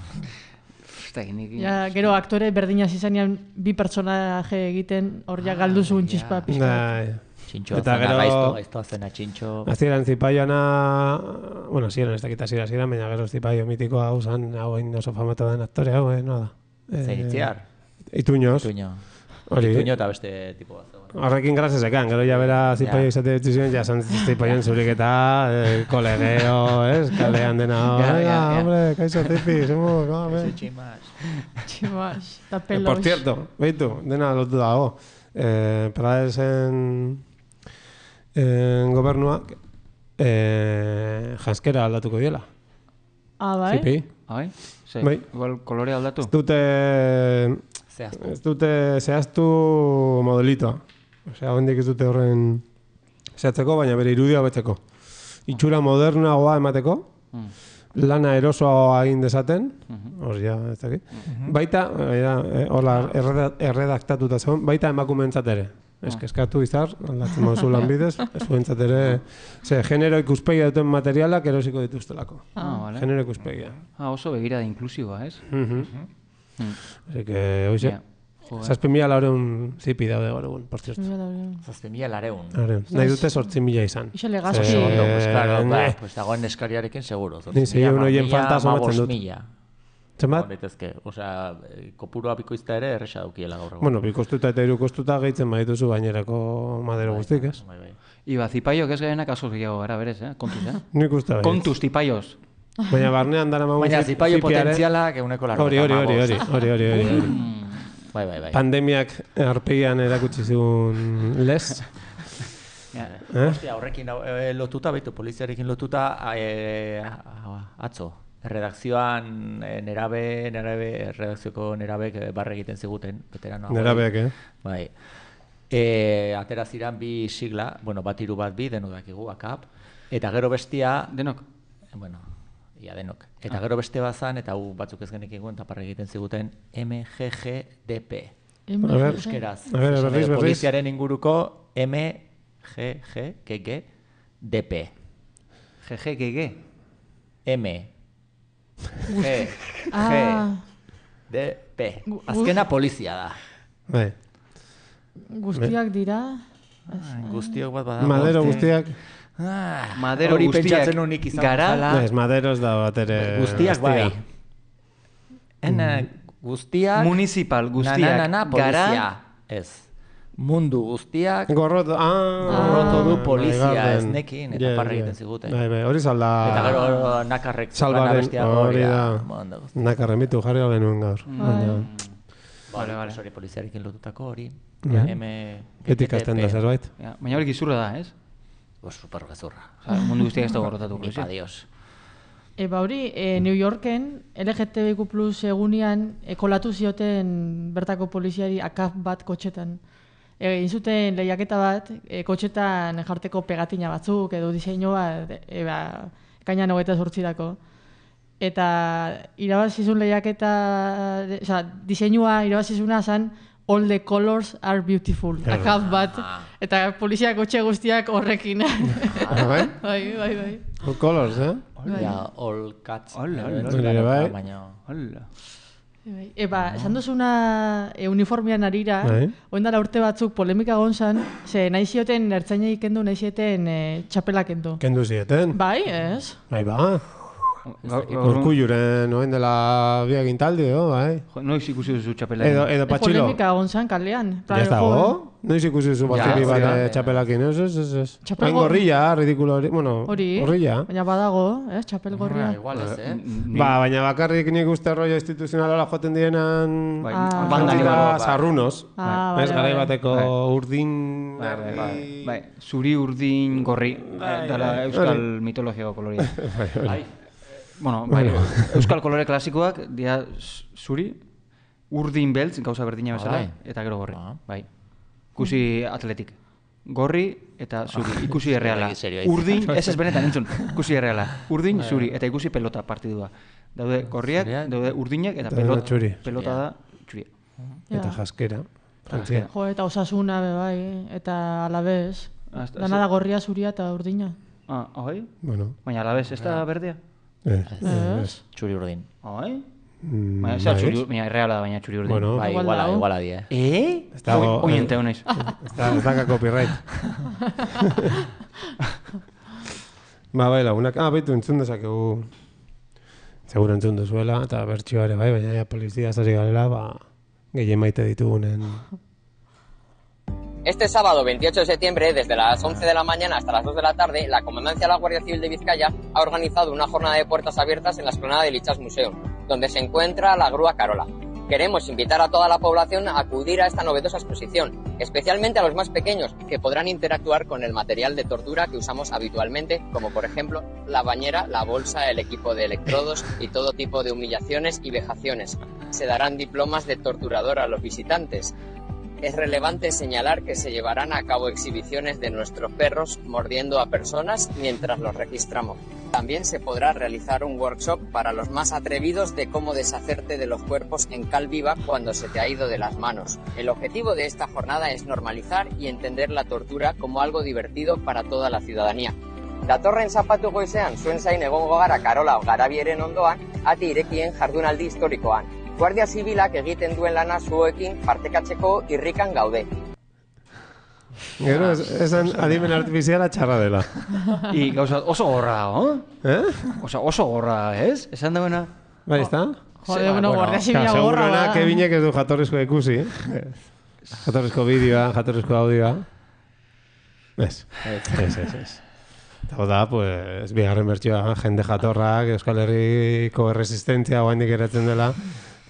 C: Eta nik...
E: Ja, gero aktore berdina zizanean bi pertsonaje egiten, hor ja galdu zuen txispa pizka.
D: Bai.
B: Txintxoa
D: Eta
B: zena,
D: gero-
B: gaizto, gaiztoa zena txintxo.
D: Hasieran zipaioana, bueno, hasieran ez dakit hasiera hasieran, baina gero zipaio mitiko hau zan, hau hain oso famatu den aktore hau, eh, no da.
B: Zein itziar?
D: Ituñoz.
B: Ituño.
D: Hori.
B: Ituño eta beste tipo bat. zegoen.
D: Horrekin grazesekan, gero ja bera zipaio
B: Ja.
D: izate dituzien, ja zan zipaioen zuriketa, eh, kolegeo, ez, kalean dena,
C: Ja,
D: venga,
C: ja, ja.
D: hombre, kaixo tipi, zemo, come.
B: Tximas.
E: Tximas, eta
D: Eh,
E: pelos.
D: Por cierto, beitu, dena lotu dago. Eh, Pradesen en gobernuak eh, janskera aldatuko diela.
E: Ah, bai?
D: Zipi.
C: Ah, bai? Ze,
D: Bai.
C: igual kolore aldatu?
D: Ez dute,
B: Zehaztu.
D: ez dute zehaztu modelitoa. Osea, hondik ez dute horren zehatzeko, baina bere irudia betzeko. Itxura modernagoa emateko,
C: Mm.
D: lana erosoa egin dezaten,
C: Mhm.
D: hor ja, ez dakit. Baita, ja, eh, hola, erreda- erredaktatuta zegoen, baita emakumeentzat ere. Ez eskatu izar, aldatzen mozu lanbidez, zuentzat ere, ze, genero ikuspegia duten materialak erosiko dituztelako.
C: Ah, vale.
D: Genero ikuspegia.
C: Ah, oso begira da inklusiboa, ez?
D: Mhm.
C: Mm.
D: Así que, hoxe,
C: Ja. Jo, eh.
D: zazpi mila laureun zipi daude gaur egun, por cierto.
E: Mira, mira.
B: Zazpi mila lareun.
D: Laurehun. Nahi dute sortzi mila izan.
E: Ixele
D: Ze-
E: gazki.
B: Ondo, pues claro,
D: Eh,
B: bai,
D: eh.
B: pues dagoen eskariarekin seguro.
D: Ni sei egun horien falta somatzen dut.
B: Mila.
D: Zenbat?
B: Daitezke, osea, eh, kopurua bikoizta ere erresa daukiela gaur egun.
D: Bueno, bi kostuta eta hiru kostuta gehitzen badituzu gainerako madero guztik, ez?
B: Bai, bai.
C: Iba, zipaiok ez garenak aso gehiago gara berez, eh? Kontuz, eh?
D: Nik uste bai.
C: Kontuz, zipaios.
D: Baina barnean dara magun
B: Baina zipaio
D: zipiare-
B: potentzialak euneko largo.
D: Hori, hori, hori, hori, hori, hori, hori, hori.
B: Bai, bai, bai.
D: Pandemiak arpegian erakutsi zigun les.
C: Ja.
D: Eh?
B: Hostia, horrekin eh, lotuta, baitu, poliziarekin lotuta, eh, atzo, erredakzioan eh, nerabe, nerabe, erredakzioko nerabek eh, barre egiten ziguten, veteranoa.
D: Nerabeak, eh?
B: Bai. E, atera ziran bi sigla, bueno, bat hiru bat bi, denok dakigu, akap, eta gero bestia,
C: Denok?
B: bueno, ia denok. Eta gero beste bazan, eta hu batzuk ez genekin eta parra egiten ziguten, M G G D P.
D: A ber,
B: Euskeraz.
D: A ber,
B: Esan
D: berriz,
B: nahi,
D: berriz.
B: Poliziaren inguruko M G G G G D P.
C: G G G G.
B: M G
E: Ah.
B: G D P.
E: Gu-
B: Azkena polizia da.
D: Bai.
E: Guztiak dira.
B: Guztiok bat badago.
D: Madero guztiak,
B: Ah,
C: Madero
B: hori
C: guztiak
B: pentsatzen unik izan
C: gara.
B: bezala.
D: ez, maderos da bat ere...
B: Guztiak bai.
D: gaztia.
B: En, guztiak...
C: Municipal guztiak
B: Na, na, na, na, polizia.
C: gara.
B: Ez. Mundu guztiak...
D: Gorroto, ah...
B: Gorroto du polizia,
D: bai,
B: ez
D: garden.
B: nekin, eta
D: Ja,
B: parra
D: ja.
B: egiten ziguten.
D: Bai, bai, hori zalda...
B: Eta gero nakarrek
D: Salvaren,
B: bestia
D: hori da.
B: Mondo guzti.
D: Nakarren bitu jarri hau genuen gaur. Baina,
B: Vale, vale. Hori poliziarekin lotutako hori.
D: Ja.
B: M...
D: Beti ikasten da zerbait.
C: Ja, baina hori gizurra da, ez?
B: Pues super gezurra.
C: Osa, mundu guztiak ez da gorrotatu.
B: Nipa dios.
E: E, ba hori, e, New Yorken L G T B Q plus egunean e, kolatu zioten bertako poliziari akaf bat kotxetan. E, egin zuten lehiaketa bat, e, kotxetan jarteko pegatina batzuk edo diseinu bat, e, ba, ekainan hogeita zortzirako. Eta irabazizun lehiaketa, oza, diseinua irabazizuna zen all the colors are beautiful. Akaf bat, eta polizia kotxe guztiak horrekin.
D: Ah, bai?
E: bai, bai, bai.
D: All colors, eh?
B: Ja, all cats.
C: Hola,
B: Eh,
C: hola,
B: entzun
D: hola, bai.
B: baina...
C: Hola.
E: Bai. Eba, esan duzuna e, uniformian arira,
D: Bai.
E: oindala urte batzuk polemika gonzan, ze nahi zioten ertzainei kendu, nahi zioten e, txapela kendu.
D: Kendu zieten.
E: Bai, ez?
D: Bai, ba. Urkulluren oen dela bi egintaldi, edo, bai.
C: Noiz ikusi duzu txapelari?
D: Edo, edo patxilo.
E: Polemika egon zan kalean.
D: Ya ez dago? Noiz ikusi duzu batzuki
B: hori
D: bat
B: da.
D: txapelakin, ez, ez, ez, ez.
E: Txapel
D: Hain
E: go-
D: gorrilla, ridikulo hori, bueno,
E: Hori,
D: gorrilla.
E: baina badago, eh, txapel gorria.
B: Igual ez, eh?
D: Ba, baina bakarrik nik uste rollo instituzionala joten dienan
C: Bai,
E: Ah.
C: banda
D: jantzita
C: animal.
D: sarrunos.
E: Ah,
D: Ez
E: vale,
D: garai
E: vale.
D: bateko
C: Bai.
D: urdin...
C: Bai, bai, bai.
D: berri-
C: Bai, zuri urdin gorri, eh, dala euskal mitologiako koloria.
B: Bai.
C: Bueno, bai, euskal kolore klasikoak dia zuri, urdin beltz, gauza berdina bezala,
B: bai.
C: eta gero gorri.
B: Ah.
C: Bai. Ikusi atletik. Gorri eta zuri, ikusi erreala.
B: Serio, serio,
C: Urdin, ez ez benetan entzun, ikusi erreala. Urdin, zuri, eta ikusi pelota partidua. Daude gorriak,
B: Zuria.
C: daude urdinak, eta
D: Eta
C: pelota,
D: txuri.
C: pelota da txuria.
D: Eta jaskera. Jantzia.
E: Jo, eta osasuna be bai, eta alabez.
C: Hasta-
E: Dana da gorria, zuria eta urdina.
C: Ah, oi?
D: Bueno,
C: Baina alabez, ez da berdea?
D: ez.
E: Ez?
B: Txuri urdin.
C: Oi?
D: Mm,
C: Baina, ez da
D: bai.
C: txuri, baina erreala da, baina txuri urdin.
D: Bueno,
B: Bai,
E: Igual
B: iguala,
E: dago.
B: iguala die.
C: Eh?
D: Ez dago-
C: Oi- Oiente honaiz.
D: Ez da, ez daka copyright. Ba, bai, lagunak, ah, baitu entzun dezakegu, seguro entzun duzuela, eta bertxioa ere bai, baina ja, polizia zari garela, ba, gehien maite ditugunen.
F: Este sábado veintiocho de septiembre, desde las once de la mañana hasta las dos de la tarde, la Comandancia de la Guardia Civil de Vizcaya ha organizado una jornada de puertas abiertas en la explanada del Itxas Museum, donde se encuentra la grúa Carola. Queremos invitar a toda la población a acudir a esta novedosa exposición, especialmente a los más pequeños, que podrán interactuar con el material de tortura que usamos habitualmente, como por ejemplo la bañera, la bolsa, el equipo de electrodos y todo tipo de humillaciones y vejaciones. Se darán diplomas de torturador a los visitantes. Es relevante señalar que se llevarán a cabo exhibiciones de nuestros perros mordiendo a personas mientras los registramos. También se podrá realizar un workshop para los más atrevidos de cómo deshacerte de los cuerpos en cal viva cuando se te ha ido de las manos. El objetivo de esta jornada es normalizar y entender la tortura como algo divertido para toda la ciudadanía. Datorren zapatu goizean, zuen zain egongo gara Karola Garabieren ondoan, ati irekien jardunaldi historikoan. Guardia Zibilak egiten duen lana zuekin partekatzeko irrikan gaude.
D: Gero, es- esan adimen artifiziala txarra dela.
C: I gauza oso gorra dago,
D: Eh?
C: Osa, oso gorra, ez? Esan dagoena...
D: Bai, ez da?
E: Jode, bueno,
B: bueno,
E: guardia
D: Ka,
E: zibila gorra
D: seguruena,
E: da.
D: Kevinek ez du jatorrizko ikusi. Jatorrizko bideoa, jatorrizko audioa. Ez. Ez, ez, ez. Eta hau da, pues, bigarren bertsioa, jende jatorrak, Euskal Herriko erresistentzia oaindik eratzen dela,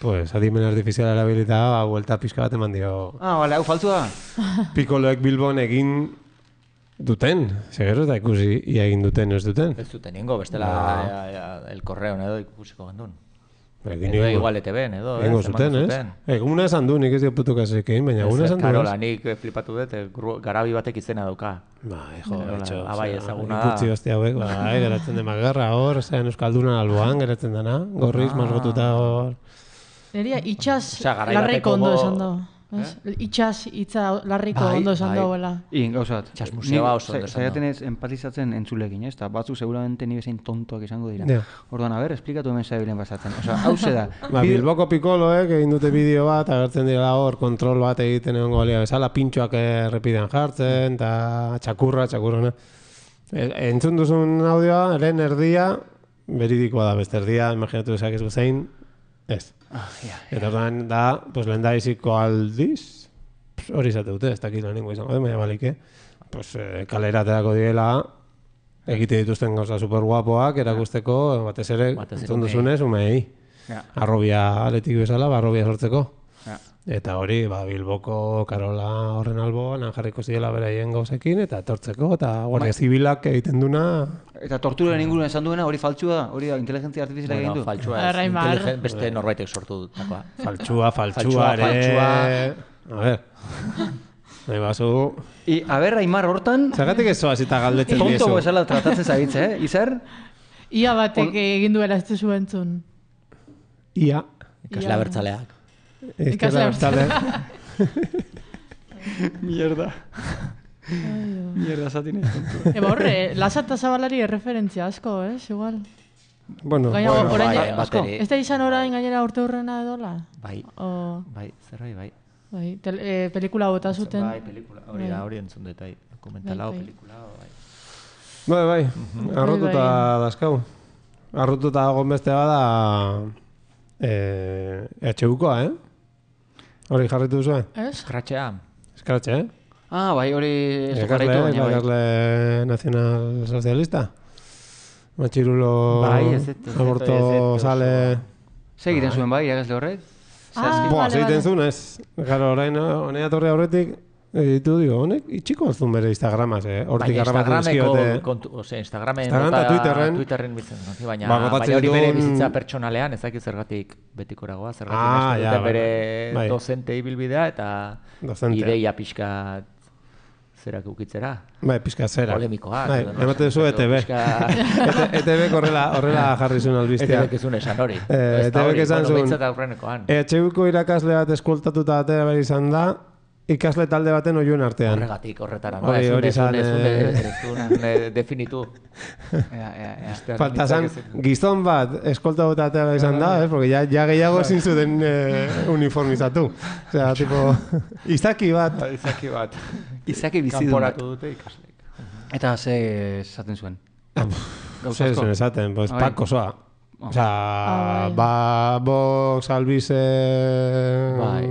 D: pues, adimen artifiziala erabilita, ba, vuelta pixka bat eman dio.
C: Ah, bale, hau faltu da?
D: Pikoloek Bilbon egin duten, segero eta ikusi, ia egin duten, ez duten.
B: Ez duten ingo, bestela
D: Ba.
B: ja, ja, el correo edo ikusiko gendun.
D: Egin
B: Edo
D: egingo-
B: igual E T V-en edo,
D: egingo
B: ez,
D: zuten,
B: emango
D: ez?
B: zuten.
D: Eguna esan du, nik ez dio putu kasikein, baina eguna
B: Ez,
D: esan du,
B: Karola,
D: ez?
B: nik eh, flipatu dut, eh, gru- garabi batek izena dauka.
D: Bai, jo,
B: Karola,
D: etxo.
B: ah, bai,
D: osea,
B: ezaguna da.
D: Ikusi hostia hauek, bai, geratzen den magarra hor, zean Euskalduna alboan geratzen dena, gorriz,
B: Ah.
D: margotuta hor.
E: Neria, itxas
B: Osea, garai
E: larriko
B: bateko
E: ondo
B: go-
E: esan dago. Ez? Itxas hitza larriko
B: Bai,
E: ondo esan
B: bai.
E: dagoela.
C: I, gauzat.
B: Itxas museoa oso ondo
C: Ni
B: esan
C: saiaten ez empatizatzen entzulekin, ez? Eta batzu seguramente ni bezain tontoak izango dira.
D: Ja.
C: Orduan, a ber, esplikatu hemen zabilen pasatzen. Osa, hau ze da.
D: Ba,
C: Bide-
D: Bilboko pikoloek egin dute bideo bat, agertzen dira hor, kontrol bat egiten egongo balia bezala, pintxoak errepidean jartzen, eta txakurra, txakurrona. E, entzun duzun audioa, lehen erdia, beridikoa da, beste erdia, imaginatu dezakezu zein, ez.
C: Ah, ja.
D: Eta orduan da, pues, lehen daiziko aldiz, pues, hori izate dute, ez dakit lehenengo izango, den, baina balike, pues, eh, kalera aterako diela, egite dituzten gauza super guapoak, erakusteko, batez ere,
B: Batez ere
D: entzun
B: umeei.
D: duzunez, umei.
C: Ja.
D: Arrobia aletik bezala, ba, arrobia sortzeko.
C: Ja.
D: Eta hori, ba, Bilboko Karola horren alboan, han jarriko ziela beraien gauzekin, eta etortzeko, eta Guardia Zibilak egiten duna...
C: Eta torturaren inguruan esan duena, hori faltsua da, hori da, inteligentzia artifizialak egin
B: Bueno,
C: du.
B: faltsua ez,
E: Arraimar.
B: inteligen- beste norbaitek sortu dutakoa.
D: Faltsua, faltsua,
B: Faltsua,
D: ere...
B: faltsua.
D: A ver, nahi bazu...
C: I, a ber, Aimar hortan,
D: Zergatik ez zoaz eta galdetzen
C: tonto
D: diezu?
C: bezala tratatzen zabitze, eh? Izar?
E: Ia batek egin duela ez duzu entzun.
D: Ia,
B: Ikasle abertzaleak.
E: Ikasle
D: izkerra bertale.
C: Mierda. Mierda, zatin ez tonto.
E: Eba horre, lasata zabalari erreferentzia asko, ez? Igual.
D: Bueno,
E: Gaina,
B: bueno,
E: orain,
B: bai,
E: asko.
B: bateri.
E: Ez da izan orain gainera urte hurrena edola?
B: Bai,
E: O,
B: bai, zerbait, bai.
E: bai, tel, e, pelikula bota zuten.
B: Bai, pelikula, hori da, hori entzun dut, bai. Dokumentala o
E: Bai, bai.
B: pelikula, o, bai.
D: bai, bai, arrotuta
E: bai.
D: dazkau. arrututa dagoen beste bada eh, E H U-koa, eh? Hori jarritu duzu, eh?
E: Ez?
B: Skratxea.
D: Eskratxe, eh?
C: Ah, bai, hori ez du
D: Ekasle,
C: jarraitu, baina bai.
D: ekasle nazional sozialista. Matxirulo,
B: Bai, ez ez, ez,
D: aborto
B: ez, ez, ez,
D: sale...
C: Zer egiten zuen bai, irakasle horrek?
E: Ah,
D: Boa,
E: vale,
D: zeiten
E: vale.
D: zuen, ez. Garo, orain, honea torre aurretik, ditu dio, honek itxiko alzun bere Instagramaz, eh? Hortik
B: Baina
D: grabatu
B: Instagrameko,
D: dizkiote.
B: kontu, ose, Instagramen
D: Instagram eta
B: eta
D: Twitterren.
B: Twitterren bitzen, no? baina,
D: Ba, botatzen
B: baina hori bere
D: dituen-
B: bizitza pertsonalean, ez dakit zergatik betikoragoa, zergatik
D: Ah,
B: nahasten
D: ja,
B: duten
D: bai,
B: bere
D: bai.
B: dozente ibilbidea eta
D: Dozentea.
B: ideia pixka zerak ukitzera.
D: Bai, pizka zera.
B: Polemikoak.
D: Bai,
B: edo no,
D: ematen zu E T B.
B: pixka-
D: E T B horrela, horrela jarri zuen albistea.
B: E T B ezun esan hori.
D: Eh,
B: Ez da
D: E T B
B: hori,
D: esan
B: bueno,
D: zuen.
B: behintzat aurrenekoan.
D: E H U-ko irakasle bat eskoltatuta atera behar izan da, ikasle talde baten oioen artean.
B: Horregatik, horretara. No?
D: Hori-
B: Ezun,
D: hori
B: ezun,
D: zan,
B: ezun,
D: eh,
B: ezun, eh, definitu.
C: Ja, ja, ja.
D: Falta zan, gizon bat eskoltatuta atera behar izan da, eh? Porque ja, ja gehiago ezin zuten eh, uniformizatu. Osea, tipo, izaki bat.
B: Izaki bat.
C: Izaki bizidun bat.
B: Kanporatu dute ikasleek.
C: Eta ze esaten zuen? Gauza
D: Zer
C: asko?
D: zuen esaten, pues,
C: Bai.
D: Paco soa.
C: Oh.
D: Osea,
E: Ah, bai.
D: ba, Vox, Albize,
B: Bai.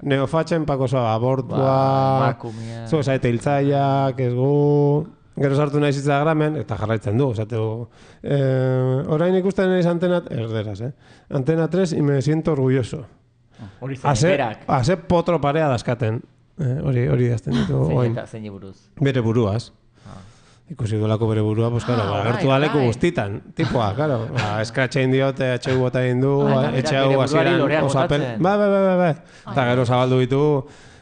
D: neofatxen Paco soa, abortua,
B: Ba, emakumea.
D: zu esaite hiltzaiak, ez gu... Gero sartu nahi Instagramen, eta jarraitzen du, esateu. Eh, orain ikusten naiz Antena... Erderaz, eh? Antena tres y me siento orgulloso.
B: Hori zen
D: Haze,
B: berak.
D: haze potro parea dazkaten. Eh, hori hori dazten ditu.
B: Zein
D: orain.
B: eta zein buruz.
D: Bere buruaz. Ikusi duelako bere burua, pues, claro,
B: Ah,
D: ba,
B: bai,
D: agertu da leku
B: bai.
D: guztitan, tipoa, claro. Ba, eskratxe egin diote, H U bota egin du,
B: Ah,
D: ba,
B: eta
D: etxe
B: berak
D: hau
B: bere
D: hasieran
B: buruari loreak
D: osapel...
B: botatzen.
D: Ba, ba, ba, ba, ba. Eta gero zabaldu ditu,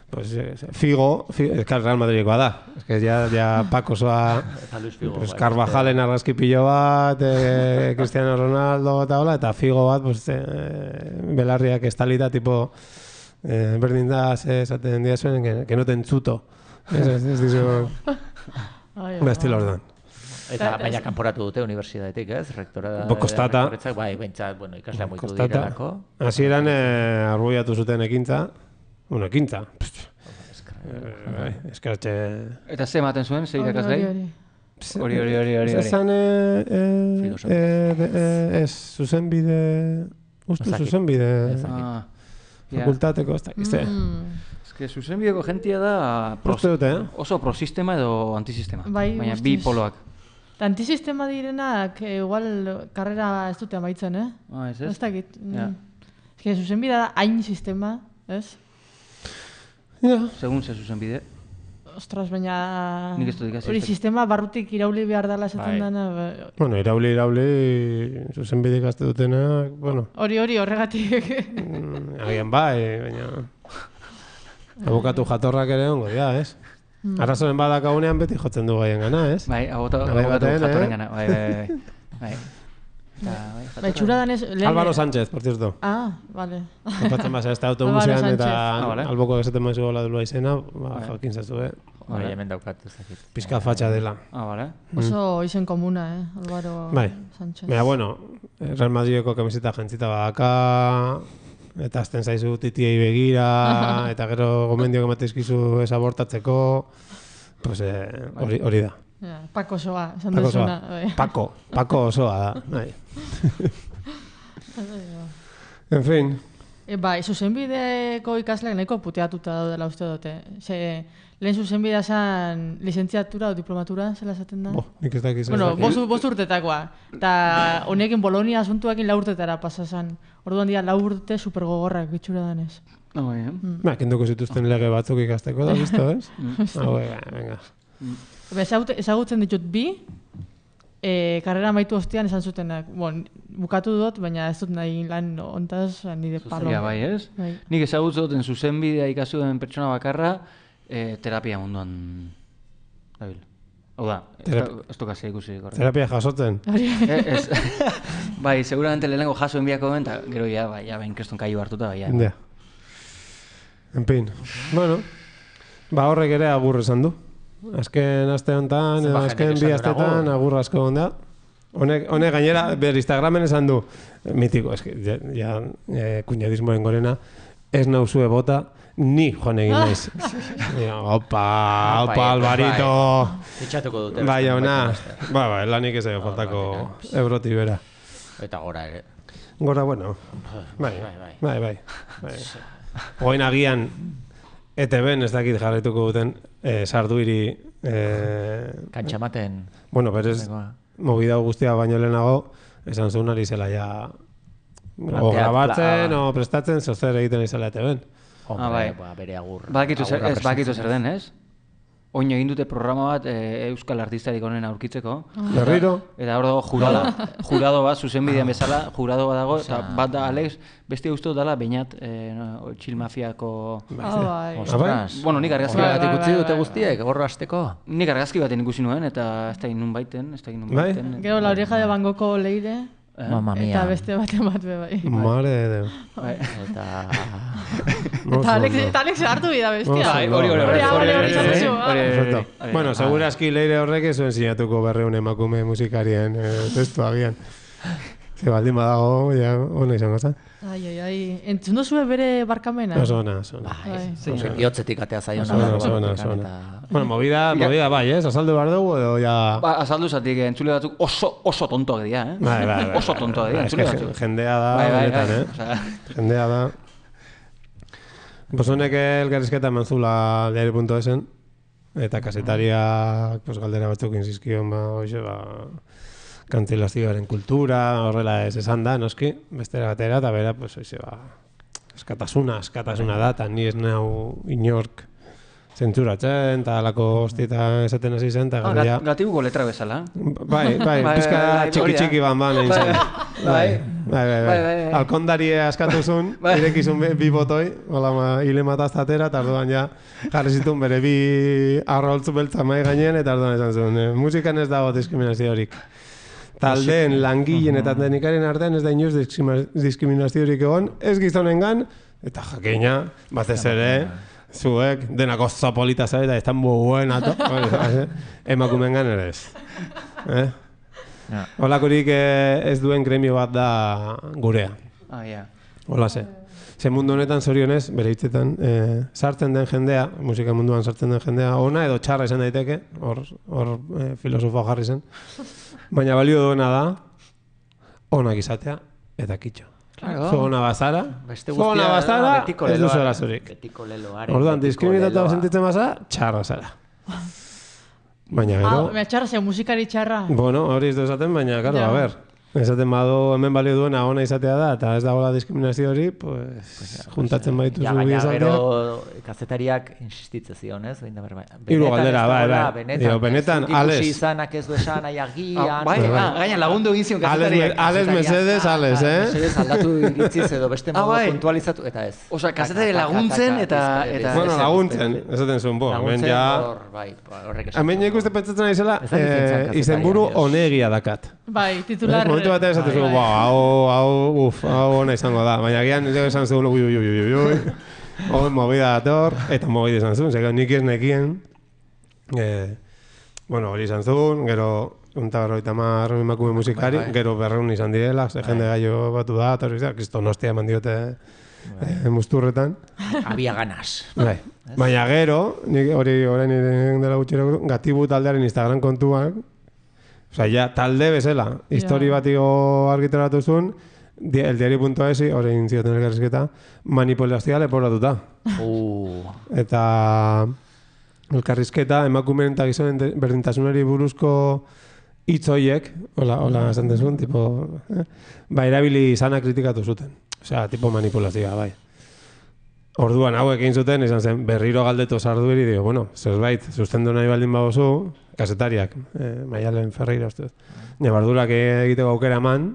D: pues, eh, Figo, Figo, es que Real Madridekoa da. Es que ya, ya Paco soa...
B: Eta Luis Figo.
D: Pues
B: bai,
D: Carvajalen argazki pilo bat, eh, Cristiano Ronaldo eta hola, eta Figo bat, pues, eh, belarriak estalita, tipo, eh, berdin da, ze esaten dia zuen, que, que no te entzuto. Ez, ez, ez dizu,
E: Ai,
D: ba, estilo ordan.
B: Eta baina kanporatu dute unibertsitatetik, ez? Rektora
D: Bo, kostata.
B: rektoretzak, bai, bentsat, bueno, ikasle amoitu
D: Kostata.
B: direlako.
D: Hasieran eh, arbuiatu zuten ekintza, bueno, ekintza, eh, eskratxe...
C: Eta ze ematen zuen, ze
E: Hori,
C: irakaslei?
E: hori, hori.
C: Hori, hori, hori, hori.
D: Esan, eh, eh,
B: Filosofia.
D: eh, be- eh, ez, zuzenbide, ustu
B: Ez dakit.
D: zuzenbide,
B: Ez dakit.
C: Ah, ja.
D: fakultateko, ez dakit, ze.
E: Mm.
C: Ez que zuzenbideko jentia da pros-
D: Uste dute, eh?
C: oso prosistema edo antisistema.
E: Bai,
C: Baina bi
E: guztiz.
C: poloak.
E: Eta antisistema direnak, eh, igual, karrera ez dute amaitzen, eh?
C: Ah, ez ez?
E: Ez dakit.
C: Ja.
E: Mm. Ez que zuzenbida da hain sistema, ez?
D: Ja,
C: Segun ze zuzenbide.
E: Ostras, baina...
C: Nik ez dut ikasi,
E: Hori
C: ez dakit.
E: sistema barrutik irauli behar dela esaten
B: Bai.
E: dana. ba-
D: bueno, irauli, irauli, zuzenbide ikaste dutenak, bueno,
E: Hori, hori, horregatik.
D: mm, agian bai, baina... Abokatu jatorrak ere ongo, ja, ez? Arazoren badakagunean beti jotzen du gaien gana, ez?
C: Bai, abota,
D: Bai,
C: abokatu
D: baten, eh?
C: jatoren gana. Bai, bai, bai. bai. Eta, bai,
E: Ba,
C: jatorra.
E: itxura danez... lehen-
D: Álvaro Sánchez, por cierto.
E: Ah, vale.
D: Topatzen basa ez da autobusean
E: Álvaro
D: eta
E: Sánchez.
C: Ah, vale.
D: alboko esaten maizu gola dula izena, ba,
C: Bai.
D: jakin zazu, eh?
B: Bai, hemen daukat ez dakit.
D: Pizka fatxa dela.
C: Ah, bale.
E: Oso izen komuna, eh? Álvaro
D: Bai.
E: Sánchez.
D: Baina, bueno, Real Madrideko kamiseta jentzita badaka, eta azten zaizu titiei begira, eta gero gomendioak emateizkizu ez abortatzeko, pues eh, hori, hori da.
E: Ja, Paco osoa, esan
D: Paco
E: duzuna.
D: osoa.
E: bai.
D: Paco, Paco osoa da. Bai. En fin,
E: E, bai, zuzenbideko ikasleak nahiko puteatuta daudela uste dute. Ze, lehen zuzenbidea zen lizentziatura o diplomatura, zela esaten da?
D: bo, nik ez dakiz.
E: Bueno, bost, bost urtetakoa. Eta honekin Bolonia asuntuakin lau urtetara pasa zen. Orduan dira lau urte supergogorrak bitxura danez.
C: Ah, bai, eh?
D: Ba, kenduko zituzten lege batzuk ikasteko da, bizto, ez? Hau, venga.
E: Ba, ezagut- ezagutzen ditut bi, e, karrera amaitu ostean esan zutenak. Bon, bukatu dut, baina ez dut nahi lan ontaz nire palo.
C: Ja, bai, ez?
E: Bai.
C: Nik ezagutzen duten zuzenbidea ikasi duen pertsona bakarra, eh, terapia munduan dabil. Hau da, ez
D: Terap-
C: da- ez tokazia ikusi korre.
D: Terapia jasotzen.
C: Eh, ez. Bai, seguramente lehenengo jaso enbiako ben, eta gero ja, bai, ja, ben kreston kaiu hartuta, bai, ja.
D: Ja. En fin. Bueno, ba horrek ere agur esan du. Azken aste honetan, edo
B: Zenbat
D: azken
B: jendek
D: bi
B: esan du
D: astetan
B: agur.
D: agur asko onda. Honek, honek gainera, ber Instagramen esan du, mitiko, eski, ja, ja eh, kuñadismoen gorena, ez nauzue bota, ni joan egin naiz. Ja, opa, opa,
B: Bai,
D: Alvarito.
B: Fitxatuko dute.
D: Bai,
B: beste
D: jauna.
B: nonbait beste.
D: Ba, ba, lanik ez zaio faltako euroti bera.
B: Eta gora ere.
D: Gora, bueno, bai,
B: bai,
D: bai, bai. bai. Oin agian, E T B-en ez dakit jarraituko duten, eh, sarduiri... Eh,
B: Kantxamaten.
D: bueno, berez, movida guztia baino lehenago, esan zuen ari zela ja... O grabatzen, o prestatzen, zozer egiten izela E T B-en.
B: Hombre,
C: bai.
B: ba, bere agur.
C: Badakitu zer,
B: agurra
C: ez badakitu zer
B: prestatzen.
C: den, ez? Oin egin dute programa bat e, euskal artistarik honen aurkitzeko.
D: Berriro?
C: Eta hor dago jurado, jurado bat, zuzenbidean bezala, jurado bat dago, eta bat da Alex, beste uste dela Beñat, e, no, Txil Mafiako...
E: Ah, bai.
B: Ostras.
C: Bueno, nik argazki
E: Bai,
C: bat
E: bai,
B: Utzi
E: bai,
B: dute
E: bai,
B: guztiek, gorro hasteko.
C: Nik argazki baten ikusi nuen, eta ez da nun baiten, ez da nun
D: Bai?
C: baiten.
E: Gero la oreja de Van Gogh leire,
B: Mamma mia.
E: eta beste bat emat be bai.
D: Mare de...
C: Bai.
B: Eta...
E: Eta Alex, eta Alex hartu bida bestia.
C: Bai, hori, hori,
E: Hori,
C: hori,
E: hori,
C: hori,
E: hori,
C: hori,
E: hori,
C: hori,
E: hori,
D: Perfecto.
C: hori.
D: Bueno, segurazki leire horrek ez zuen sinatuko berreun emakume musikarien eh, testu agian. Ze baldin badago, ja, ona izango zen.
E: Ai, ai, ai. Entzun duzue bere barkamena?
D: Oso ona, oso ona.
E: Bai.
B: Ose, bihotzetik atea zaiona.
D: Oso ona, oso ona, oso ona. Bueno, movida, movida bai, ez? Azaldu behar dugu edo ja...
C: Ba, azaldu zatik, entzule batzuk oso, oso tontoak dira, eh?
D: Bai, bai, bai.
C: Oso tontoak dira,
D: Bai,
C: entzule
D: eske
C: batzuk.
D: jendea da,
C: Bai, bai,
D: benetan,
C: bai.
D: eh?
C: Osea,
D: Jendea da. Pues honek elkarrizketa manzula diario punto esen, eta kasetariak pues, galdera batzuk inzizkion, ba, hoxe, ba, kantzilazioaren kultura, horrela ez esan da, noski, bestera batera, eta bera, pues, hoxe, ba, eskatasuna, eskatasuna da, eta ni ez nau inork zentzuratzen, eta alako hostita esaten hasi zen, eta
C: ah,
D: gero ja...
C: gat- gatibuko letra bezala.
D: Bai, bai,
C: Bai,
D: pizka
C: bai,
D: txiki
C: hori da.
D: txiki ban ban egin zen.
C: Bai,
D: Bai, bai, bai.
C: bai, bai.
D: Alkondari askatu zuen,
C: Bai.
D: irekizun bi- bi botoi, hola ma, hile mataztatera, eta orduan ja jarri zituen bere bi arroltzu beltza mai gainen, eta orduan esan zuen, eh, musikan ez dago diskriminaziorik. Taldeen, langileen eta teknikaren artean ez da inoiz diskrima- diskriminaziorik egon, ez gizonengan, eta jakina, batez ere, zuek, denako zopolita zabe, eta estan buena, to, emakumengan ere ez. Eh?
B: Ja.
D: Holakorik eh, ez duen gremio bat da gurea.
C: Ah, ja.
D: Hola ze. Ze mundu honetan zorionez, bere hitzetan, eh, sartzen den jendea, musika munduan sartzen den jendea, ona edo txarra izan daiteke, hor, hor eh, filosofoa jarri zen. Baina balio duena da, onak izatea eta kitxo.
B: Claro.
D: Zu ona bazara,
B: Beste
D: zu ona bazara,
B: betiko
D: ez duzu
B: leloaren-
D: arazorik.
B: Betiko leloaren.
D: Orduan,
B: betiko
D: diskriminatu
B: leloa.
D: sentitzen baza, txarra zara. Baina
E: Ah,
D: gero,
E: me txarra ze, musikari txarra.
D: bueno, hori ez du esaten, baina, karo,
E: Ja.
D: a ber, esaten badu hemen balio duena ona izatea da, eta ez dagoela diskriminazio hori, pues, juntatzen baitu
B: Ja,
D: zu
B: gaina
D: biesaldia.
B: gero kazetariak insistitze zion, ez? Oin da berba.
D: Hiru galdera, bai, bai.
B: Benetan,
D: Dio, benetan,
B: ez dut ikusi
D: Ales.
B: izanak ez du esan, nahi agian.
C: Ah, bai,
D: bai.
C: ah, gaina lagundu egin zion
D: Ales,
C: kazetariak.
D: Ales Mercedes, Ales, eh?
B: Mesedez aldatu iritziz edo beste
C: Ah,
B: modu
C: bai.
B: puntualizatu, eta ez.
C: Osea,
B: Taka,
C: kazetari
B: taka,
C: laguntzen
B: taka,
C: eta-
B: bizkari,
C: eta-
B: bizkari,
D: Bueno,
B: bizkari,
D: laguntzen,
B: bizkari.
D: esaten zuen, bo, hemen
B: Laguntzen,
D: ja...
B: hor, bai, horrek esan.
D: Hemen ja ikuste pentsatzen ari zela,
B: Ez dakit zentzan
D: eh,
B: kazetaria,
D: izenburu
B: Dios.
D: onegia dakat.
E: Bai,
D: Ez,
E: titular.
D: momentu batean esaten zuen,
E: Bai.
D: hau, hau, uf, hau ona izango da. Baina gian, ez esan zuen, ui, ui, ui, ui, ui, hoi, movida dator, eta movida izan zuen, zega nik ez nekien, eh, bueno, hori izan zuen, gero, unta berroita mar emakume musikari,
B: Bai, bai.
D: gero berreun izan direla, ze jende gaio batu da, eta hori zera, kriston hostia eman diote eh, musturretan.
B: Había ganas.
D: Bai. Baina gero, nik hori orain nire dela gutxero, Gatibu taldearen Instagram kontuak, osea, ja, talde bezala, histori bat argitaratu zuen, di- el diario punto es, orain zioten elkarrizketa, manipulazioa leporatuta.
B: Uh,
D: Eta elkarrizketa emakumeen eta gizonen de- berdintasunari buruzko hitz horiek, hola, hola esan dezun, tipo, eh? ba, erabili izana kritikatu zuten. Osea, tipo manipulazioa, bai. Orduan hauek egin zuten, izan zen, berriro galdetu sardueri, dio, bueno, zerbait, sustendu nahi baldin baduzu, kasetariak, eh, Maialen Ferreira, uste dut. Nabardurak egiteko aukera eman,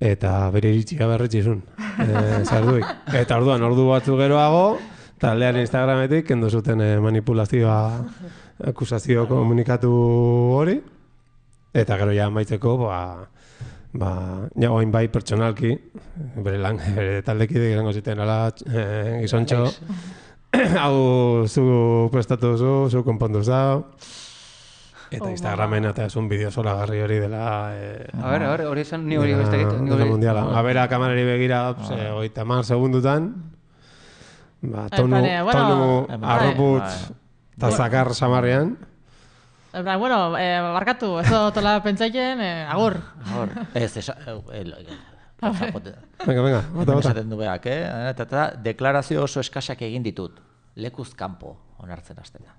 D: eta bere iritzia berretsi zuen, eh, sarduik. Eta orduan, ordu batzu geroago, taldearen Instagrametik, kendu zuten eh, manipulazioa, akusazio komunikatu hori, eta gero ja amaitzeko, ba, ba, ja, oain bai pertsonalki, bere lan, bere taldekide girango ziten, ala, eh, gizontxo, hau zu prestatu zu, zu konpondu zau, eta
E: Oh,
D: Instagramen eta esun bideo solagarri hori dela, eh,
C: A ber, a ber, hori esan, ni hori beste egiten.
D: dela mundiala. A bera kamerari begira, pues, hogeita hamar segundutan, ba, tonu,
E: Aipane, bueno,
D: tonu
B: bai.
D: arroputz, eta zakar samarrean,
E: Ebra, bueno, eh, barkatu, ez dotola pentsaien, eh, agur.
B: Agur. Ez, esa...
D: Venga, venga, bota, bota.
B: Esaten du beak, eh? Eta, eta deklarazio oso eskasak egin ditut. Lekuz kanpo onartzen hastela.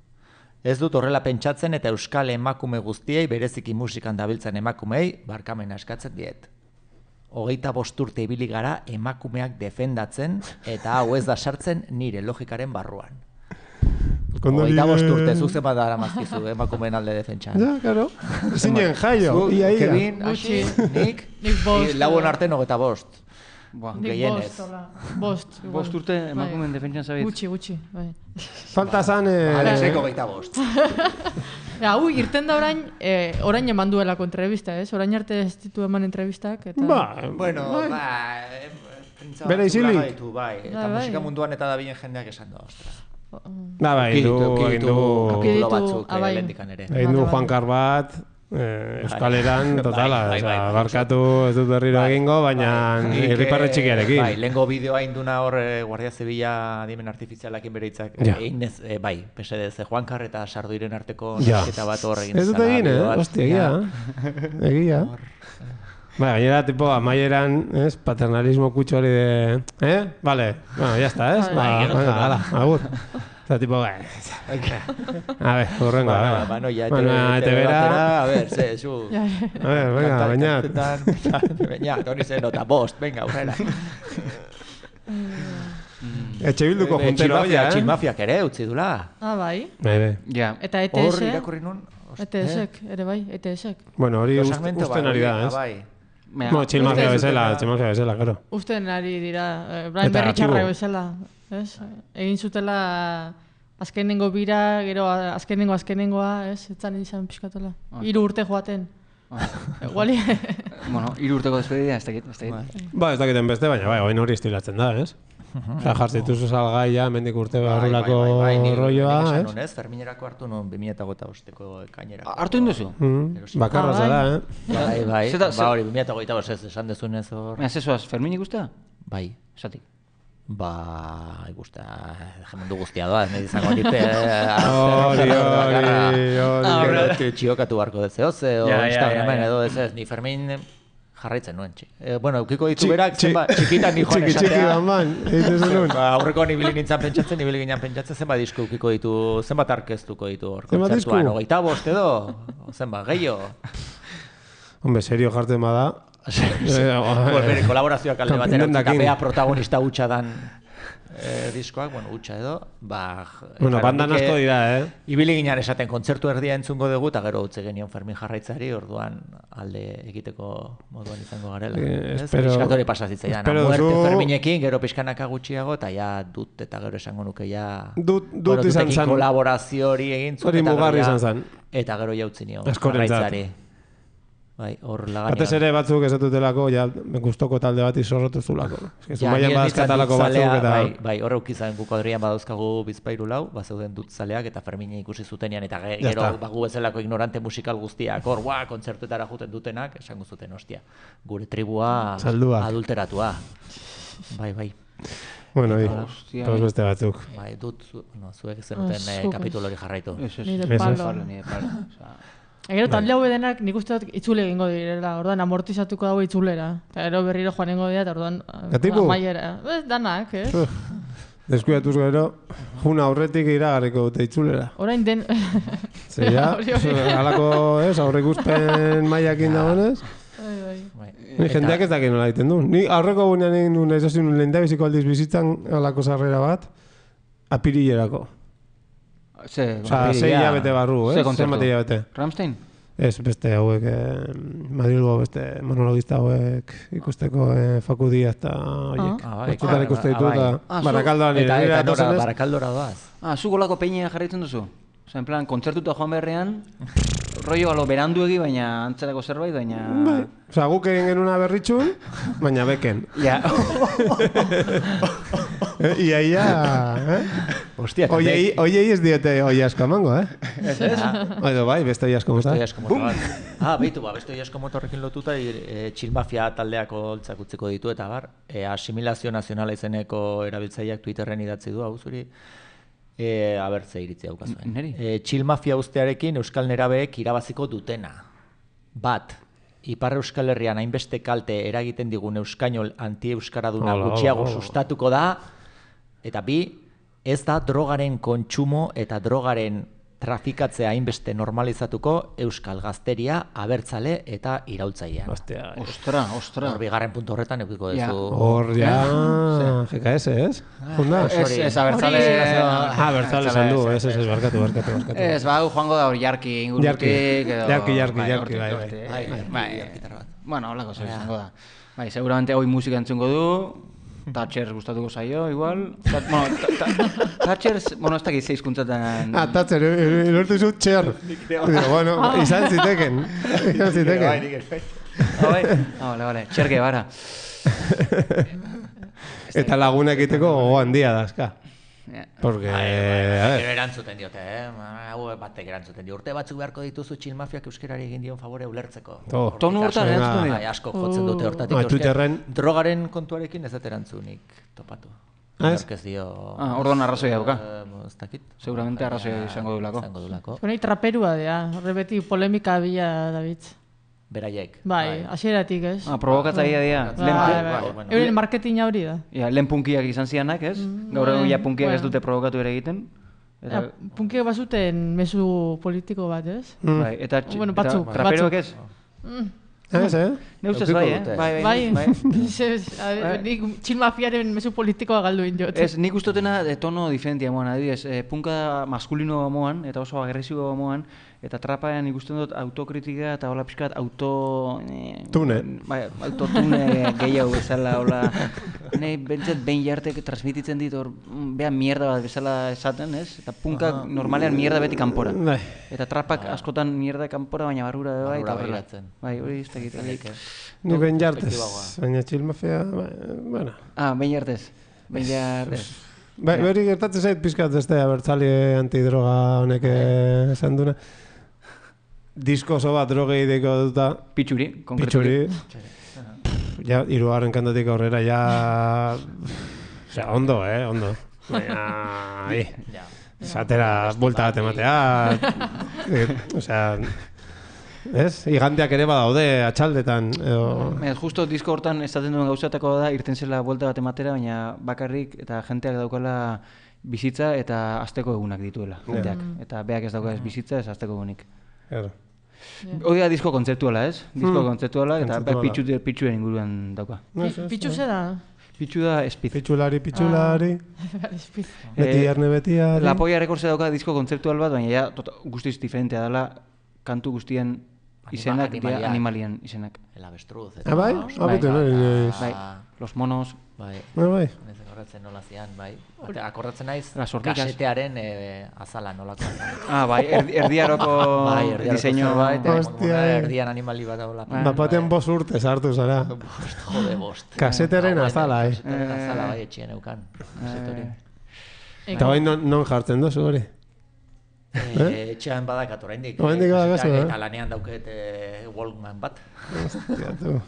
B: Ez dut horrela pentsatzen eta euskal emakume guztiei, bereziki musikan dabiltzen emakumei, barkamena eskatzen diet. Hogeita bost urte ibili gara emakumeak defendatzen eta hau ez da sartzen nire logikaren barruan. Hogeita bost urte, zuk zenbat dara mazkizu emakumeen alde defentsan.
D: Ja, karo. Zinen jaio, ia, ia.
B: Kevin, Axi, nik,
E: Nik bost.
B: lauen artean hogeita bost.
C: Buah,
E: Nik
B: Gehienez.
E: bost, hola. Bost. igual.
C: bost urte emakumeen
E: Bai.
C: defentsan zabit.
E: Gutxi, gutxi, bai.
D: Falta zan... Eh,
B: Alexek hogeita bost.
E: Ja, hau, irten da orain, eh, orain eman duelako entrevista, ez? Orain arte ez ditu eman entrevistak, eta...
D: Ba,
B: Bueno, ba... eh, printza
D: Bere
B: batzuk
D: isilik.
B: lagaitu, bai. Eta
E: Bai, bai.
B: musika munduan eta dabilen jendeak esan da, ostra.
D: da, bai, du, egin du...
B: kapitulo
E: Ditu,
B: batzuk
E: ah,
B: eh,
E: bai.
B: lehendikan ere.
D: Egin du
E: Bate,
D: Juan
E: bate.
D: Karbat, eh, Euskaleran, totala,
B: Bai, bai,
D: osea,
B: bai, bai.
D: barkatu ez dut berriro
B: Bai,
D: egingo, baina
B: nik,
D: irriparre
B: eh,
D: txikiarekin.
B: Bai, lehengo bideoa induna hor eh, Guardia Zibila adimen artifizialakin bere hitzak.
D: Ja.
B: Egin ez, eh, bai, P S D Z Juan Kar eta Sarduiren arteko
D: Ja.
B: nasketa bat hor egin
D: Ez dut
B: zela
D: egin, eh?
B: bideo bat.
D: Hostia, egia. Egia. Bai, gainera, tipo, amaieran, ez, paternalismo kutxo hori de... Eh? Vale, bueno, ya está, ez? Ba,
B: Bai,
D: venga, hala, agur. Eta, tipo, bai... A ver, urrengo, a
B: Ba,
D: ver.
B: ba, no, ya,
D: Bueno,
B: ete
D: ete bera...
B: a ver, ze, zu...
E: Ja,
D: A ver, venga,
B: Kantar-
D: bainat.
B: kantetan- Bainat, hori zen nota, bost, venga, aurrera.
D: Etxe bilduko
B: Eh,
D: juntero,
B: Txilmafia-
D: ja, eh?
B: Txilmafiak ere, utzi dula.
E: ah, bai.
D: Bai, bai.
C: Ja,
E: Eta E T
B: Hor
E: S,
B: irakurri nun...
E: E T S-ek, ere bai, E T S-ek.
D: Bueno, hori
B: Los
D: ust-
B: Sarmiento,
D: usten
B: bai,
D: ari da,
B: hori,
D: ez?
B: bai.
C: Mea,
D: Bueno, txilmafia
B: Uste
D: bezala,
B: zutela.
D: txilmafia bezala, karo.
E: Usten ari dira, eh, Brian
D: Eta
E: Berri txarra
D: aktibo.
E: bezala, ez? Egin zutela azkenengo bira, gero azkenengo azkenengoa, ez? Etzan izan pixkatola. Hiru urte joaten. Iguali...
C: bueno, hiru urteko despedida, ez dakit, ez dakit.
D: Ba, ez dakiten beste, baina bai, oin hori estilatzen da, ez? Osa, jartzituzu salgaia, mendik urte horrelako
B: ni-
D: rolloa,
B: nik esan
D: ez?
B: nun, ez? Ferminerako hartu nun bi mila hogeita bosteko ekainerako.
C: Hartu induzu?
D: Mm, Bakarra
E: Ah, bai.
D: zara, eh?
B: Bai, bai,
C: Zeta-
B: ba hori, bi mila hogeita bost ez, esan dezunez hor.
C: Mea, zezoaz, Fermin ikustea?
B: Bai,
C: Esatik.
B: ba, ikusta, jemundu guztia doa, ez nahi izango nite...
D: Hori, hori, hori.
B: Txiokatu barko dut zehoz, edo
C: Ja, ja,
B: Instagramen
C: ja, ja.
B: edo ez ez, ni Fermin jarraitzen nuen. txi. Eh, bueno, eukiko ditu
D: Txi-
B: berak,
D: txi-
B: zenba, txikitan ni joan
D: Txiki, txiki,
B: esatea.
D: banban, egiten zenun.
B: Ba, aurreko nibili nintzen pentsatzen, nibili ginen pentsatzen, zenbat disko ukiko ditu, zenbat arkeztuko ditu hor
D: Zenbat
B: kontzertuan,
D: disku?
B: hogeita bost edo, zenbat, gehiago.
D: Hombre, serio jartzen bada. Eh,
B: Bueno, bere kolaborazioak alde batera,
D: Kanpinen
B: utzi, eta
D: dakin.
B: bea protagonista hutsa dan eh, diskoak, bueno, hutsa edo, ba...
D: Bueno,
B: claro,
D: bandan
B: nik,
D: asko
B: eh,
D: dira, eh?
B: Ibili ginen esaten kontzertu erdia entzungo dugu, eta gero utze genion Fermin jarraitzari, orduan alde egiteko moduan izango garela.
D: Eh,
B: Ez?
D: espero-
B: Pixkat hori pasazitzaian,
D: espero
B: muerte
D: duzu-
B: Ferminekin, gero pixkanaka gutxiago, eta ja dut, eta gero esango nuke ja...
D: Dut- dut
B: bueno,
D: izan
B: dutekin
D: zen.
B: kolaborazio hori egin zuen,
D: Hori
B: eta gero
D: mugarri
B: ja-
D: izan zen.
B: Eta gero ja utzi nion
D: Askorentzat.
B: jarraitzari. Bai, hor laganean.
D: Batez ere batzuk esatutelako, ja, gustoko talde bat izorrotu zulako. Ez
B: Ja,
D: mailan
B: ni ez nintzen
D: bazkatalako
B: dut
D: batzuk
B: zalea,
D: eta...
B: Bai, bai, horre ukizan gu kuadrian badauzkagu bizpairu lau, bazeuden dut zaleak eta Fermine ikusi zutenean, eta ge-
D: Ya
B: gero
D: está.
B: bagu bezalako ignorante musikal guztiak, hor, guau, kontzertuetara juten dutenak, esango zuten, ostia, gure tribua
D: Salduak.
B: adulteratua. Bai, bai,
D: Bueno, hi,
C: Hostia,
D: tos beste batzuk.
B: bai, dut, zu, no, zuek zenuten
E: Ah,
B: eh,
E: zuk.
B: kapitulu hori jarraitu.
C: Ez, ez.
E: Nire
C: Ez, ez.
E: palo.
C: Palo, nire palo. Osea,
E: Gero talde hau denak nik uste dut itzule egingo direla, orduan amortizatuko dago itzulera. Eta gero berriro joanengo dira, eta orduan
D: Gatibu?
E: amaiera. Ez, danak, ez?
D: Deskuidatuz gero, juna aurretik iragarriko dute itzulera.
E: Orain den...
D: Ze ja,
E: Hori, hori.
D: halako, ez, aurreikuspen mailakin dagoenez.
E: Bai, bai.
B: Bai.
D: Ni jendeak ez dakit nola egiten du. Ni aurreko gunean egin nuen ez ezin lehendabiziko aldiz bizitzan halako sarrera bat, apirilerako.
C: Ze,
D: Osa, sei hilabete barru,
C: Ze
D: eh?
C: kontzertu?
D: Zenbat hilabete.
C: Rammstein?
D: Ez, beste hauek, eh, Madrilgo beste monologista hauek ikusteko eh, fakudia eta horiek.
B: Ah, bai,
D: Batzutan
B: claro,
D: ikuste
B: ah,
D: ditu
B: bai.
D: eta
C: Ah, zu-
D: Barakaldoan
B: Eta,
D: nire
B: eta nora,
D: datozenez.
B: barakaldora doaz.
C: Ah, zu golako peina jarraitzen duzu? Osa, en plan, kontzertuta joan beharrean, rollo alo beranduegi, baina antzerako zerbait, baina...
D: Bai. Osa, guk egin genuna berritxun, baina beken.
C: Ja.
D: Eh, ia, ia, eh?
B: Hostia, eta
D: Oiei,
B: nek-
D: oiei ez diete oi asko emango, eh?
B: Ez, ez?
D: Edo bai, beste oi asko mota.
B: Beste asko motor bat. Ah, beitu ba, beste asko motorrekin lotuta e, txilmafia taldeako holtzak utziko ditu eta bar. E, asimilazio nazionala izeneko erabiltzaileak Twitterren idatzi du, hau zuri. E, aber, ze iritzi daukazuen.
C: Neri?
B: E, Txil mafia ustearekin Euskal Nerabeek irabaziko dutena. Bat, Ipar Euskal Herrian hainbeste kalte eragiten digun euskainol anti-euskaraduna
D: Hola,
B: gutxiago
D: hola, hola.
B: sustatuko da, eta bi, ez da drogaren kontsumo eta drogaren trafikatzea hainbeste normalizatuko euskal gazteria, abertzale eta iraultzailean.
D: Hostia,
C: Ostra, ostra.
B: Hor bigarren puntu horretan eukiko
C: Ja.
B: duzu.
D: hor ja, G K S, ez? Junda?
C: Ez, ez abertzale...
D: Ah, bertzale esan du, ez, ez, ez, barkatu, barkatu, barkatu.
C: Ez, ba, joango da hor jarki ingurutik.
D: Jarki,
C: edo-
D: jarki, jarki,
C: bai,
D: jarki,
C: hortik,
D: bai, bai.
C: hortik.
B: Bai, bai,
C: Bai,
B: jarkitar bat.
C: bueno, holako zer izango da. Bai, seguramente hoi musika entzungo du, Thatcher gustatuko zaio, igual. Ta, bueno, ta, ta, Thatcher, bueno, ez dakit zeizkuntzatan...
D: Ah, Thatcher, lortu zu txer. Digo, bueno, izan ziteken. Izan ziteken.
C: Ah, bai? Ah, vale, vale. Txer Guevara.
D: Eta laguna egiteko gogo handia dazka.
C: Ja.
D: Porque, a
B: Gero
D: ver,
B: erantzuten diote, eh? Hau batek erantzuten dio. Urte batzuk beharko dituzu Txil mafiak euskerari egin dion favore ulertzeko.
D: To.
B: Hortik
C: Tonu hortan
B: asko-
C: erantzuten dira.
B: Bai, asko jotzen dute hortatik.
D: Ah,
B: eske
D: Twitterren-
B: Drogaren kontuarekin ez dut erantzunik topatu.
D: Ah, ez?
B: Inork ez dio...
C: Ah, orduan arrazoia dauka.
B: Eh, Ez dakit.
C: Seguramente arrazoia izango duelako.
B: Izango duelako.
E: Hori traperua dea, horre beti polemika bila David.
B: Beraiek.
E: Bai, hasieratik ez.
C: Ah, provokatzaia dira.
E: Bai,
C: Lehen,
E: bai,
B: bai,
E: bai.
B: bueno.
E: Euren marketinga hori da.
C: ja, lehen punkiak izan zianak, ez? Gaur egun ja punkiak ez
E: bueno.
C: dute provokatu ere egiten. Eta,
E: Ja, punkiek bazuten mezu politiko bat, ez?
C: bai, eta, tx-
E: Bueno,
C: eta
E: batzuk,
C: traperoek ez?
D: ez, eh?
C: Ne ustez
B: Edukiko
C: bai, eh?
B: dute.
C: Bai, bai,
E: Bai,
C: bai.
E: ez, ez, a ver, nik txil mafiaren mezu politikoa galdu injot.
C: Ez, nik ustotena de tono diferentia moan, adibidez, eh, punka maskulino moan, eta oso agresibo moan, eta trapaean ikusten dut autokritika eta hola pixkat auto... Eh,
D: Tune.
C: Bai, autotune gehiago bezala, hola... Nei, bentsat behin jartek transmititzen dit hor, mm, beha mierda bat bezala esaten, ez? Eta punkak normalean mierda beti kanpora.
D: Bai.
C: Eta trapak askotan mierda kanpora, baina barrura bai, eta
B: Barrura
C: horrela.
B: begiratzen.
C: Bai, hori ez dakit. alik.
D: Ni ben jartez,
B: perspektibagoa.
D: baina txil mafia, bai, bueno.
C: Ah, behin jartez. Behin jartez.
D: Bai, hori gertatzen zait pizkat beste abertzale antidroga honek esan duna. Disko oso bat drogei deiko duta,
C: Pitxuri, konkretuki.
D: pitxuri. Ja, irugarren kantatik aurrera, ja... Osea, ondo, eh, ondo. Baina, ahi. Zatera, bulta bat ematea. eh, Osea, ez? Iganteak ere badaude atxaldetan. Edo...
C: Baina, justo disko hortan esaten duen gauzatako da, irten zela buelta bat ematera, baina bakarrik eta jenteak daukala bizitza eta asteko egunak dituela, jenteak. Eta beak ez dauka ez bizitza, ez asteko egunik.
D: Claro.
C: Hori da disko kontzeptuala, ez? Disko
D: Hmm.
C: kontzeptuala eta
D: Kontzeptuala.
C: pitxu, pitxuen inguruan dauka.
E: Pitxu zera?
C: Pitxu da espiz.
D: Pitxulari, pitxulari,
E: Espiz.
D: beti
C: Eh,
D: arne betiari.
C: La Polla Records dauka disko kontzeptual bat, baina ja tota, guztiz diferentea dela kantu guztien izenak dira
B: animaliak.
C: animalien izenak.
B: El avestruz.
D: Ah, bai? Ah, betu, no, inoiz.
C: Bai, los monos,
B: Bai.
D: Ah, bai.
B: Ez akordatzen nola zian, bai. Eta akordatzen naiz,
C: Las hormigas.
B: kasetearen eh, azala nolako azala.
C: ah, bai, erdi, erdiaroko
B: Bai, erdiaroko
C: diseinu.
B: zerbait, eta
D: Hostia,
B: mona
D: eh.
B: erdian animali bat dagoela.
C: Bai.
D: Bat batean bost urte sartu zara.
B: Bost, jode bost.
D: Kaseteren
B: Hau,
D: azala, eh.
B: Kaseteren azala, bai, etxien eukan. Kaset hori.
D: Eta bai non, non jartzen dozu hori.
B: Eh, etxean badakat oraindik.
D: Oraindik
B: eh,
D: badakazu,
B: kasetak,
D: eh?
B: Eta lanean dauket eh, Walkman bat.
D: Hostia, tu.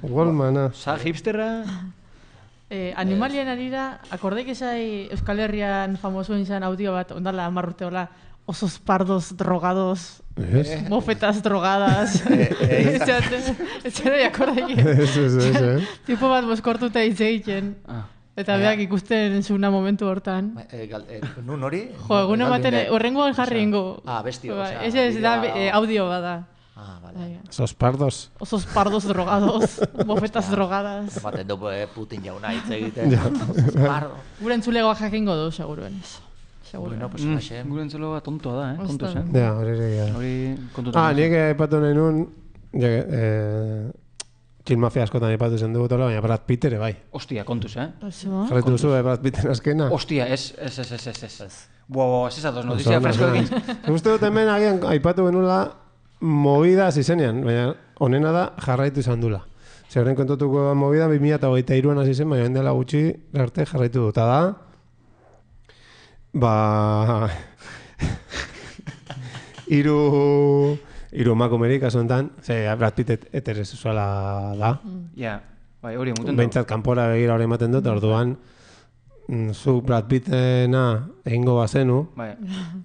D: Wallmana.
C: Sa hipsterra,
E: Eh, animalien arira, akordeik esai Euskal Herrian famosuen izan audio bat, ondala amarrute hola, osos pardos drogados,
D: Ez?
E: mofetas drogadas. Etxera akordeik.
D: Ez, ez, ez, eh?
E: Tipo bat boskortuta hitz egiten.
C: ah,
E: Eta beak ikusten zuna momentu hortan.
B: Ba, eh, gal- eh, nun hori?
E: Jo, egun
B: Galdin
E: ematen,
B: dut.
E: horrengoan jarri ingo.
B: Ah, bestio,
E: Bai,
B: osea,
E: Ez ez da
B: bideoa-
E: eh, audio bada.
B: Ah, vale.
E: Bai.
D: Sos pardos.
E: Osos pardos drogados, mofetas drogadas.
B: Ematen du eh, Putin jauna hitz egiten. Pardo.
E: Gure entzulegoa jakingo du, seguruen ez. Seguruen.
B: Bueno, pues
C: mm,
B: halaxe.
C: gure entzoloa tontoa da, eh?
E: Osta.
C: Kontuz, eh?
D: Ja, hori ere gara.
C: Hori kontutan.
D: Ah, nik aipatu nahi nun, ja, eh, txil mafia askotan aipatu zen dugu tola, baina Brad Pitt ere bai.
C: Ostia, kontuz, eh?
E: Eso.
D: Jarretu duzu, eh, Brad Pitten azkena.
C: Ostia, ez, ez, ez, ez, ez, ez. Bo, ez esatos,
D: Oso
C: notizia
D: ona,
C: fresko
D: ona.
C: egin.
D: Uste dut hemen agian aipatu genula movida zizenean, baina onena da jarraitu izan dula. Zerren kontutuko da movida bi mila hogeita hiruan hasi zen, baina dela gutxi arte jarraitu dut. Eta da, ba... Hiru hiru emakumerik kasu honetan, ze Brad Pitt et- heterosexuala da.
C: Ja, bai, hori emuten du.
D: Behintzat kanpora begira hori ematen dut, orduan mm, zu Brad Pittena egingo bazenu,
C: Bai,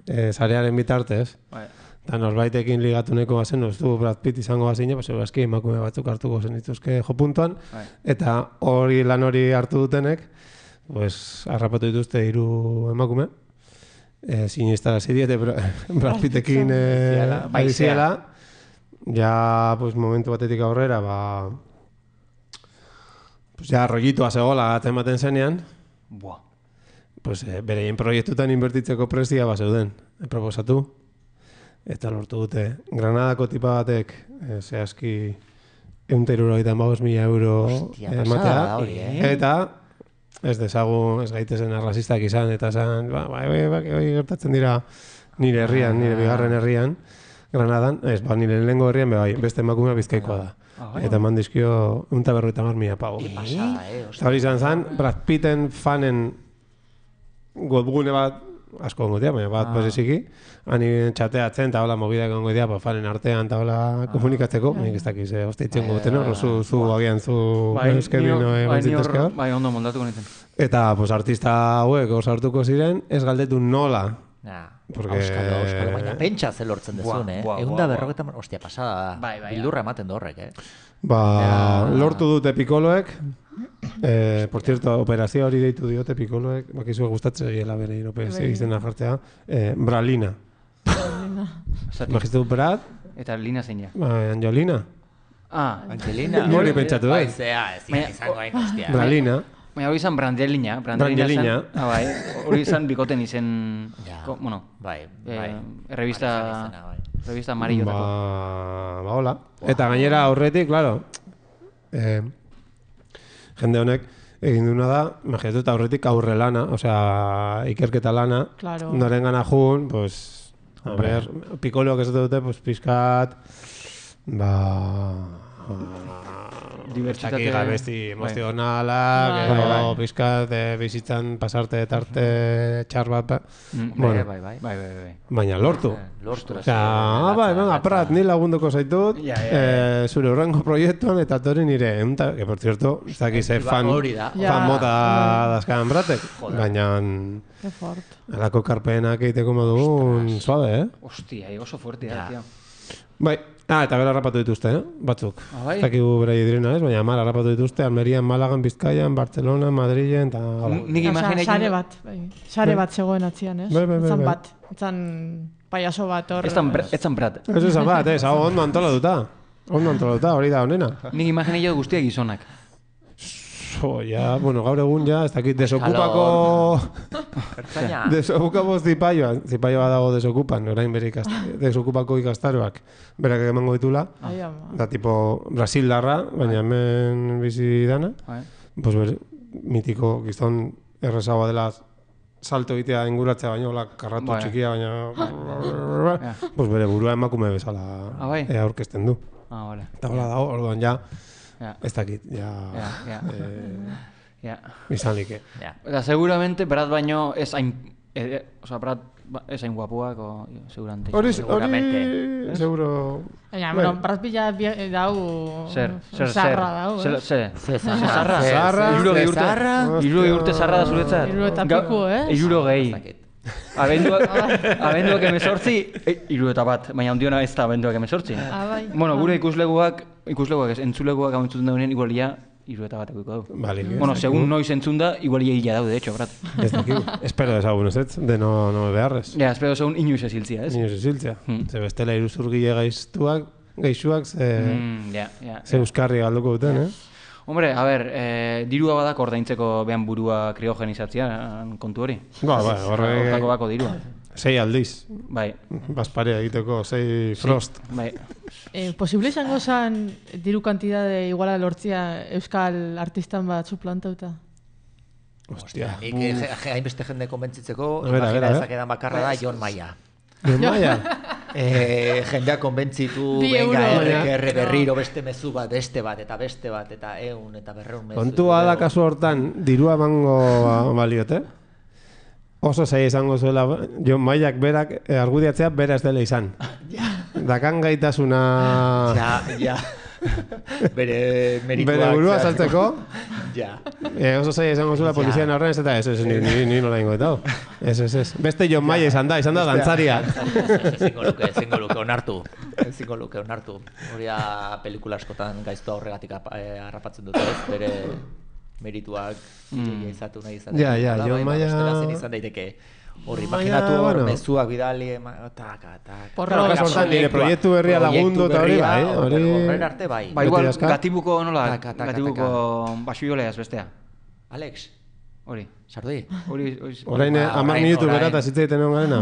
D: eh, sarearen bitartez,
C: bai.
D: eta norbaitekin ligatu neko bazenu, ez du Brad Pitt izango bazine, pues, eski emakume batzuk hartuko zen dituzke jo puntuan,
C: Bai.
D: eta hori lan hori hartu dutenek, pues, harrapatu dituzte hiru emakume, eh, sinistarazi diete Brad Pittekin eh,
B: Bai,
D: ari ziela, ja, pues, momentu batetik aurrera, ba, pues, ja, rollitua zegoela ematen zenean,
C: Buah.
D: pues, eh, bereien proiektutan inbertitzeko prezia ba zeuden, eh, proposatu, eta lortu dute. Granadako tipa batek, eh, zehazki, ehun eta hirurogeita hamabost mila euro
B: Hostia,
D: eh,
B: pasada
D: ematea,
B: da hori, eh?
D: eta ez dezagun, ez gaitezen arrazistak izan, eta esan, ba, ba, ba, ba, hori gertatzen dira nire herrian, nire bigarren herrian, Granadan, ez, ba, nire lehenengo herrian, be, bai, beste emakumea Bizkaikoa da. Eta eman dizkio ehun eta berrogeita hamar mila pau.
B: Pasada, eh?
D: Eta hori izan zen, Brad Pitten fanen webgune bat, asko gongo dira, baina bat ah. beziziki, hani txateatzen, eta hola mobideak gongo dira, fanen artean, eta hola komunikatzeko, nik ez dakiz, eh, hostia itxengo duten hor, zu, zu agian, zu euskebino ebantzitezke hor.
C: Bai, ondo moldatuko nintzen.
D: Eta, pues, artista hauek osartuko ziren, ez galdetu nola.
B: Nah,
D: Porque...
B: Auskalo, auskalo, baina pentsa ze lortzen dezun, eh?
C: buah,
B: Egun
C: buah,
B: da berrogeta, hostia, pasada da.
C: Bai, bai,
B: Bildurra ematen du horrek, eh?
D: Ba,
B: Ja.
D: lortu dute pikoloek, eh, por cierto, operazio hori deitu diote pikoloek, bakizue gustatzen egiela bere operazio izena jartzea, eh, Bralina.
C: Zati.
D: Magistu Brad,
C: Eta Lina zein ja.
D: ba, Angelina,
C: Ah,
B: Angelina.
D: Ni hori pentsatu,
B: Bai,
D: eh?
B: zea, ez
C: Baina-
B: izango hain, hostia.
D: Bralina,
C: baina hori izan Brandelina.
D: Brandelina.
C: Zen, ah, bai, hori izan bikoten izen,
B: Ja.
C: ko, bueno,
B: Bai,
C: eh,
B: bai.
C: errebista,
B: Izena, bai.
C: revista amarillotako.
D: ba, ba, hola. Eta gainera aurretik, claro, eh, jende honek egin duna da, imaginatu eta aurretik aurre lana, osea, ikerketa lana,
E: Claro.
D: noren gana jun, pues, a ver, pikoloak ez dute, pues, pizkat, ba...
C: Dibertsitate-
D: Zaki gabesti emozionalak,
E: Bai.
D: edo
C: Bai, bai.
D: pizkat eh, bizitzan pasarte tarte txar bat, ba.
C: Mm,
D: Bueno,
B: bai, bai.
C: Bai, bai, bai.
D: baina lortu.
B: Lortu.
D: Osea, ah, bai, venga, Prat, ni lagunduko zaitut,
C: Ja, ja, ja.
D: eh, zure horrengo proiektuan, eta tori nire, eunta, que por cierto, ez dakiz eh, fan,
B: Hori da.
E: Ja.
D: fan mota
E: Bai.
D: dazkan Bratek, baina
E: Qué fort.
D: alako karpenak egiteko modun suave, eh?
C: Hostia, eh, oso fuerte da,
B: Ja.
C: tío.
D: Bai, ah, eta gero harrapatu dituzte, eh? Batzuk.
C: Ah, bai?
D: Ez dakigu berai direna, ez? Baina hamar harrapatu dituzte, Almerian, Malagan, Bizkaian, Barcelona, Madrilen, eta... hola.
C: Nik
E: Osea,
C: imagine
E: sare bat, bai. Sare bat zegoen atzian, ez?
D: Bai, bai, bai,
E: Etzan
D: bai.
E: bat, etzan payaso bat hor.
C: Ez zan Prat.
D: Ez esan bat, ez, hau ondo antolatuta. Ondo antolatuta, hori da honena.
C: Nik imagine jo guztiak gizonak.
D: Jo, ja, bueno, gaur egun ja, ez dakit, desokupako...
B: Ertzaina.
D: Desokupako zipaioan, zipaioa dago desokupan, orain bere ikast... desokupako ikastaroak berak emango ditula,
E: Ai, ama.
D: da tipo Brasildarra, baina hemen bizi dana,
C: Bai.
D: pues bere, mitiko gizon errezagoa dela salto egitea inguratzea baino, hola, karratu
C: Bai.
D: txikia, baina... pues bere burua emakume bezala
C: Ah, bai?
D: eh, aurkezten du.
C: Ah, vale.
D: Eta hola dago, orduan ja,
C: Ja,
D: ez dakit, ja,
C: ja, ja.
D: eh,
C: Ja.
D: izan like.
B: Ja.
C: Eta seguramente Prat baino ez hain... Eh, eh, Osa, Prat ba- ez hain guapuak, o, seguramente.
D: Hori, hori,
B: Seguramente.
D: seguro...
E: Baina,
D: Bai.
E: bueno, Brad Pitt ja bi- dau...
C: Zer, zer, zer.
E: Zarra dau,
C: Zer,
E: eh?
C: zer.
B: Ze
C: Ze
B: zarra.
C: zarra.
B: Ze
D: Zarra.
C: Hirurogei urte.
B: zarra.
C: Hirurogei urte zarra da zuretzat.
E: Hiru eta
C: Ga-
E: piku, eh?
C: Hirurogei.
B: Ez dakit.
C: Abenduak, abenduak emezortzi, e, hiru eta bat, baina ondiona ez da abenduak emezortzi.
E: Ah, bai.
C: Bueno, gure ikusleguak, ikusleguak ez, entzuleguak hau entzuten daunen igualia hiru eta bat ekuiko du.
D: Bale,
C: Bueno, segun noiz entzun da, igualia hila daude, de hecho, Prat.
D: ez dakigu. Espero dezagun ez ez, de no, no beharrez.
C: Ja, espero segun inoiz eziltzia, ez?
D: Inoiz eziltzea.
C: Hmm.
D: Ze bestela iruzurgile gaiztuak, gaixuak, ze,
C: Mm, ja, ja.
D: ze euskarri galduko duten, eh?
C: Hombre, a ber, eh, dirua badak ordaintzeko behan burua kriogenizatzea kontu hori.
D: Ba, ba,
C: Hortako
D: horre,
C: bako dirua.
D: sei aldiz,
C: Bai,
D: bazparea egiteko, sei frost.
C: bai.
E: Eh, posible izango zen diru kantidade iguala lortzia euskal artistan bat suplantauta?
D: Hostia.
B: Nik eh, je- je- hainbeste jende konbentzitzeko,
D: A ver, a ver,
B: imagina
D: a ver.
B: dezakedan bakarra da Jon Maia.
D: Jon Maia,
B: Eh, jendea konbentzitu,
E: Bi
B: venga,
E: euro.
B: errek, erre berriro beste mezu bat, beste bat, eta beste bat, eta eun, eta berreun mezu.
D: kontua da kasu hortan, dirua emango ba- baliote. Oso zaila izango zuela, Jon Maiak berak, eh, argudiatzea bera ez dela izan. Dakan gaitasuna...
B: Ja, ja. Bere merituak.
D: Bere burua saltzeko.
B: Ja.
D: E, oso zaila izango zula polizian horren, ez eta ez, ez, ni, ni, ni nola ingo eta. Ez, ez, ez. Beste Jon Maia izan da, izan da dantzaria.
B: Ezingo luke, ezingo luke onartu. Ezingo luke onartu. Hori da pelikula askotan gaiztoa horregatik harrapatzen dute, ez? Bere merituak mm. izatu nahi izan.
D: Ja, ja, Jon Maia...
B: Bestela zen izan daiteke. Hor, imaginatu hor, bueno, mezuak bidali, taka, taka.
D: Porro, kaso hortan, nire proiektu berria lagundu eta hori, bai.
B: Horren arte, bai.
C: Ba, igual, gatibuko, nola, gatibuko basu joleaz bestea.
B: Alex.
C: Hori.
B: Sardi.
C: Hori,
D: orain, hamar minutu berata zitzaiten egon garena.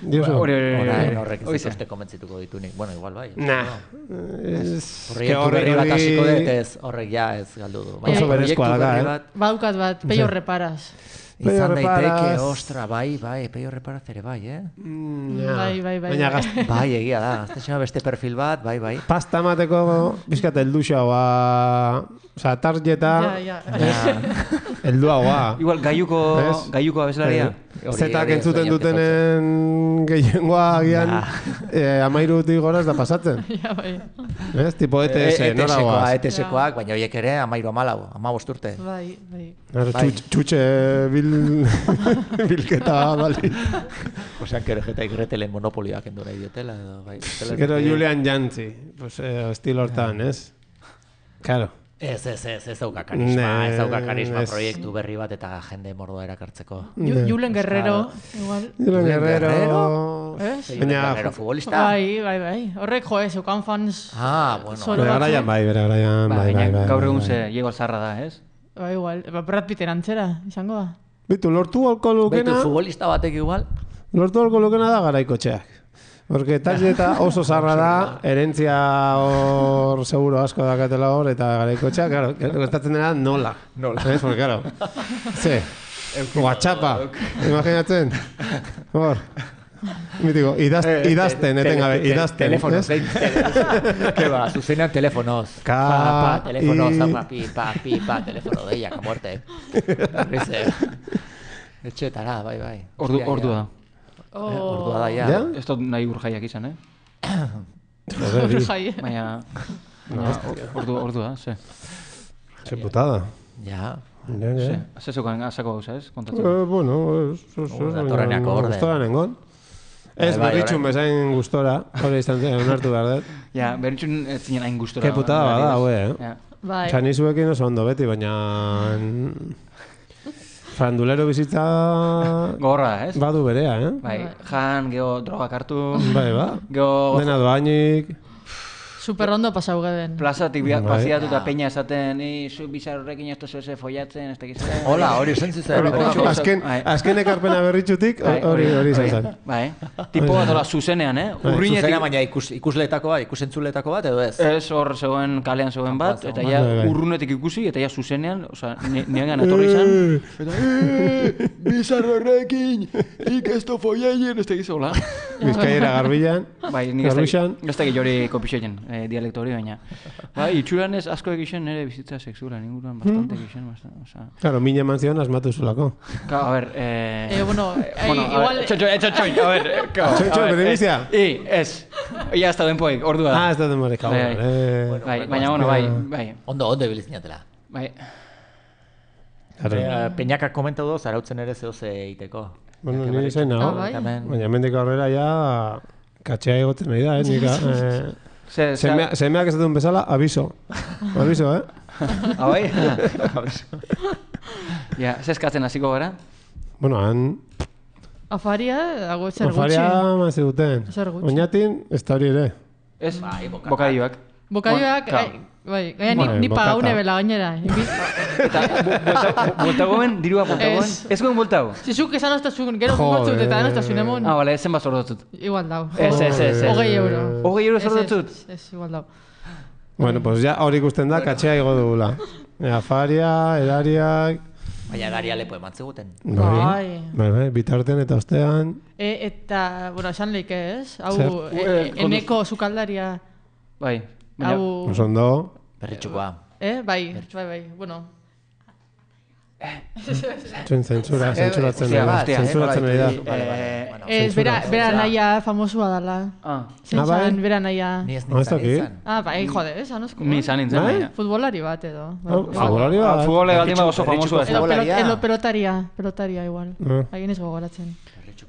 B: Diosu. Orain, horrek zituzte komentzituko ditunik. Bueno, igual, bai.
D: Nah.
B: Proiektu berri bat hasiko dut ez, horrek ja ez galdu du.
D: Oso berezkoa da, eh?
E: Baukat bat, peio reparaz.
B: Izan daiteke, ostra, bai, bai, peio reparaz ere bai, eh?
E: Mm, ja. Bai, bai, bai.
D: Baina gaz...
B: Bai, egia da, azte beste perfil bat, bai, bai.
D: Pasta mateko, bizkat elduxa, ba... Osa, tarjeta...
E: Ja, ja.
D: Eldua, ba.
C: Igual, gaiuko, gaiuko abeslaria.
D: Zetak entzuten dutenen gehiengoa agian amairutik goraz da pasatzen.
E: Ja, bai.
D: Ez, tipo E T S, nora guaz.
B: E T S-koak, baina horiek ere amairu amalau, amabost urte.
E: Bai, bai.
D: Txutxe bilketa bali.
B: Osean, kero jeta igretelen monopolioak endu nahi diotela.
D: Gero Julian Jantzi, estilo hortan, ez? Claro.
B: Ez, ez, ez, ez dauka karisma, ez dauka karisma proiektu berri bat eta jende mordoa erakartzeko.
E: Julen Guerrero, igual.
D: Julen Guerrero...
B: Julen Guerrero, futbolista.
E: Bai, bai, bai. Horrek, jo, ez, eukan fans...
B: Ah, bueno.
D: Bere garaian bai, bere garaian bai, bai, bai.
C: Gaur egun ze, Diego Zarra da, ez?
E: Bai, igual. Brad Pitten antzera, izango da.
D: Bitu, lortu alko lukena...
B: Bitu, futbolista batek igual.
D: Lortu alko lukena da garaikotxeak. Porque tarjeta oso zarra da, herentzia hor seguro asko dakatela hor, eta garaikotxa, claro, gertatzen dena nola.
B: Nola.
D: Ez, porque, claro, ze, WhatsAppa, imaginatzen, hor, mitiko, idazten, etengabe, idazten.
B: Telefonoz, que ba, zuzenean telefonoz. Pa, pa, telefonoz, pa, pi, pa, pi, pa, telefono deiak, a muerte. Rize, etxetara, bai, bai.
C: Ordu da.
E: Oh.
B: Ordua da, ja.
C: Ez dut nahi urjaiak izan, eh?
E: Urjaiak.
C: Baina... Ordu da, ze.
D: Ze putada.
B: Ja.
C: Ze zeukan azako gauza, ez? Kontatzen.
D: Bueno, ez...
B: Datorreneako orde.
D: Gustora nengon. Ez berritxun bezain gustora, hori izan zen, onartu behar dut.
C: Ja, berritxun ez zinen hain gustora.
D: Ke putada bada, haue, eh?
E: Bai.
D: Txanizuekin oso ondo beti, baina... Frandulero bizitza...
C: Gorra, ez?
D: Badu berea, eh?
C: Bai, jan, geho, drogak hartu...
D: Bai, ba.
C: Geho...
D: Dena doainik...
E: Super ondo pasau geben.
C: Plazatik pasiatu eta peña esaten, ni zu bizar horrekin ez tozu eze follatzen, ez tekiz.
B: Hola, hori esan zuzen.
D: Azken ekarpena berritxutik, hori hori izan zen.
C: Bai, tipo bat hola zuzenean, eh?
B: Zuzena, baina ikusletako bat, ikusentzulletako bat, edo ez?
C: Ez, hor zegoen kalean zegoen bat, eta ja urrunetik ikusi, eta ja zuzenean, oza, niegan etorri izan. Eta, bizar horrekin, ik ez to follaien, ez tekiz, hola.
D: Bizkaiera garbilan,
C: garbilan. Ez tekiz hori kopixoien. Eh, dialekto hori, baina bai, itxuran ez asko egiten nire bizitza sexualan inguruan, bastante egiten, bastante, oza...
D: Claro, mina manzion asmatu zulako.
C: Claro, a ver, eh...
E: Eh, bueno,
C: bueno, igual... Txon, txon, txon, txon, a ver...
D: Txon, txon, bere bizia?
C: I, ez, ia ez da denpoik, ordua da.
D: Ah, ez da denpoik,
C: hau, bai, baina, bueno, bai, bai.
B: Ondo, ondo ebilizinatela.
C: Bai.
B: Peñakak komentau doz, arautzen ere zehoze egiteko.
D: Bueno, nire zain nago, baina mendik aurrera ja... Katxea egoten nahi da, eh, nika... Semeak ez duen bezala, abiso. Abiso, eh?
C: Abai? Ja, ze eskatzen hasiko gara?
D: Bueno, han...
E: Afaria, hago zer gutxi.
D: Afaria mazi duten. Oñatin, ez da hori ere.
C: Ez, bokadioak.
E: Bokadioak, bai, gaina ni pagaune bela gainera.
C: Eta, bultagoen, dirua bultagoen? Ez guen bultago?
E: Zizuk esan oztazun, gero gortzut eta oztazun emon.
C: Ah, bale, zen bat zordotzut.
E: Igual dau.
C: Ez, ez, ez.
E: Hogei euro.
C: Hogei euro zordotzut?
E: Ez, igual dau.
D: Bueno, pues ya hori ikusten da, katxea igo dugula. Afaria, edariak...
B: Baina edaria lepo eman zeguten.
E: Bai.
D: Bai, bai, bitarten eta ostean...
E: Eta, bueno, esan leike ez? Hau, eneko zukaldaria...
C: Bai.
E: Hau...
D: Osondo...
B: Berritxukoa.
E: Eh, bai, bai, bai, bueno...
D: Zuen zentzura, zentzuratzen
C: hostia,
D: ari da.
C: hostia,
D: Zentzuratzen ari da.
E: Ez, bera, bera naia famosua dala.
C: Ah,
E: Zein
D: Ah, bai?
E: zan, bera naia.
B: Ni ez
D: Ah, ez
B: nintzen
D: dakit.
B: izan.
E: Ah, bai, jode, esan osko.
C: ni izan nintzen.
D: Bai?
C: baina.
E: Futbolari bat edo. Bai,
D: Ah,
E: igual.
D: Futbolari bat.
C: Futbole baldin ba oso famosua ez
E: Edo,
C: da.
E: pelot,
B: futbolaria.
E: edo pelotaria, pelotaria igual.
D: Ah.
E: Haien ez gogoratzen.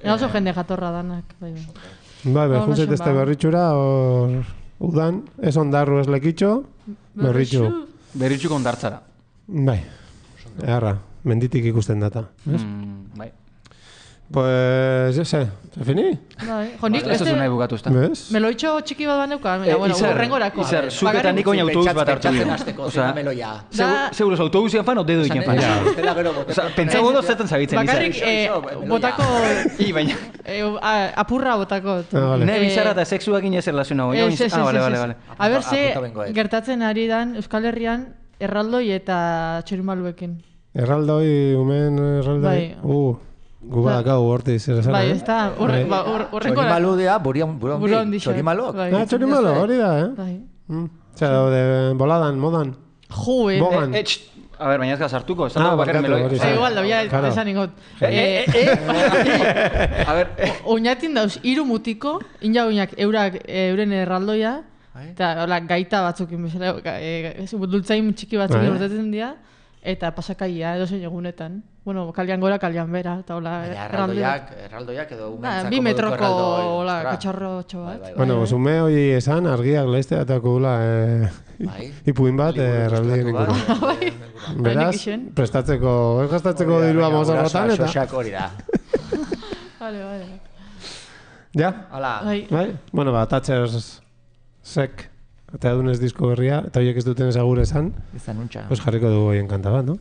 E: Eta oso jende jatorra danak. Bai, bai.
D: Bai, bai,
E: Hola,
D: juntzet
E: Xamba.
D: este berritxura, hor, udan, ez ondarru ez lekitxo, berritxu.
C: Berritxuko ondartzara.
D: Bai, eharra, menditik ikusten data.
C: Mm, bai.
D: Pues, ese, se fini?
E: Bai, jo, nik
C: Ez duzu nahi bukatu ez da.
D: ¿Ves?
E: meloitxo txiki bat baneukan, baina,
C: Eh,
E: bueno,
C: Izer,
E: urrengorako.
C: Izer, zuk eta
E: Bakarrik-
C: nik oin autobus bat hartu
B: Pentsatzen
C: dira.
B: hasteko,
C: Osea,
B: zein meloia.
E: Da-
C: Seguros autobusian fan o dedo inen fan.
B: Bestela gero
C: Osa, pentsa gondo zetan zabitzen
E: Bakarrik
C: izan.
E: eh,
B: meloia.
E: botako,
C: I, baina.
E: eh, a- apurra botako.
D: Ah, vale.
C: Ne,
E: Eh,
C: bizarra eta sexuakin ez erlazio nago.
E: Ez, ez, ez,
C: Ah, bale,
E: ez,
C: bale,
E: ez.
C: bale.
E: A ber,
B: Apunta-
E: ze
B: apunta bengoet.
E: gertatzen ari dan Euskal Herrian erraldoi eta txorimaluekin.
D: Erraldoi, umen erraldoi.
E: Bai.
D: Uh, gu badakau hortiz, zer esan,
E: Bai,
D: eh?
E: ez da, hor- ba, hor- horrengora.
B: Txorimalu dira, buruan
E: Buruan
B: buruan
E: dixo.
B: txorimalok.
E: Bai.
D: Ah, txorimalo, hori da, eh?
E: Bai.
D: Mm. Zer, daude, boladan, modan.
E: Jo, eh.
D: Bogan.
C: Eh, eh, txt, a ber, baina ez gara sartuko. Ez
D: Ah,
C: da bakarrik
D: barkatu,
C: meloi.
D: hori
E: Eh,
D: zen.
E: igual, da, ya
D: Claro.
E: esan ingot.
C: Eh,
E: Eh,
C: A ber, eh,
E: Oinatin dauz, hiru mutiko, ina oinak eurak eh, euren erraldoia, eta hola, gaita batzukin bezala, ga- eh, ez, dultzain txiki batzukin
D: Bai.
E: urtetzen dira, eta pasakaia edo zein egunetan. Bueno, kalian gora, kalian bera, eta hola,
B: Baina
E: erraldoi-
B: erraldoiak, erraldoiak edo
E: Ba,
B: umentzako
E: bi
B: moduko
E: metroko
B: erraldoi,
E: hola,
B: ostra.
E: katxarro txo
B: Bai,
E: bat.
B: bai, bai.
D: Bueno, pues ume hori esan, argiak leizte atako gula, eh,
B: Bai.
D: ipuin bat,
B: Liburu
D: eh, erraldien
B: ilustratu
D: inguru.
B: bat,
E: Bai.
D: Beraz,
E: Hainik ixen.
D: prestatzeko, ez gastatzeko dirua mozorrotan, eta...
B: Xoxak hori da.
E: Vale, vale.
D: Ja?
B: Hala,
E: Bai.
D: Bai? Bueno, ba, Thatchers sek, eta edunez disko berria, eta horiek ez duten ezagur esan,
B: izan untxa.
D: pues jarriko dugu hoien kanta bat, no?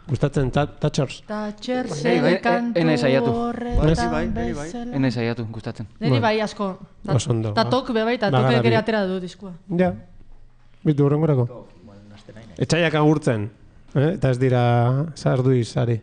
D: Gustatzen Ta- Thatchers?
E: Thatcher
C: bai,
E: zer
C: eh,
E: kantu
C: ene saiatu.
E: horretan
B: Bai, bai, bai.
E: bezala.
C: enez aiatu, gustatzen.
E: Neri bai asko. Ta-
D: Oso ondo,
E: Ta
D: ba.
E: tok be bai, ta
D: Bagara
E: tok
D: bi.
E: ere atera du diskua.
D: Ja. Bitu horrengorako. Etxaiak agurtzen, eh? eta ez dira sarduiz, ari.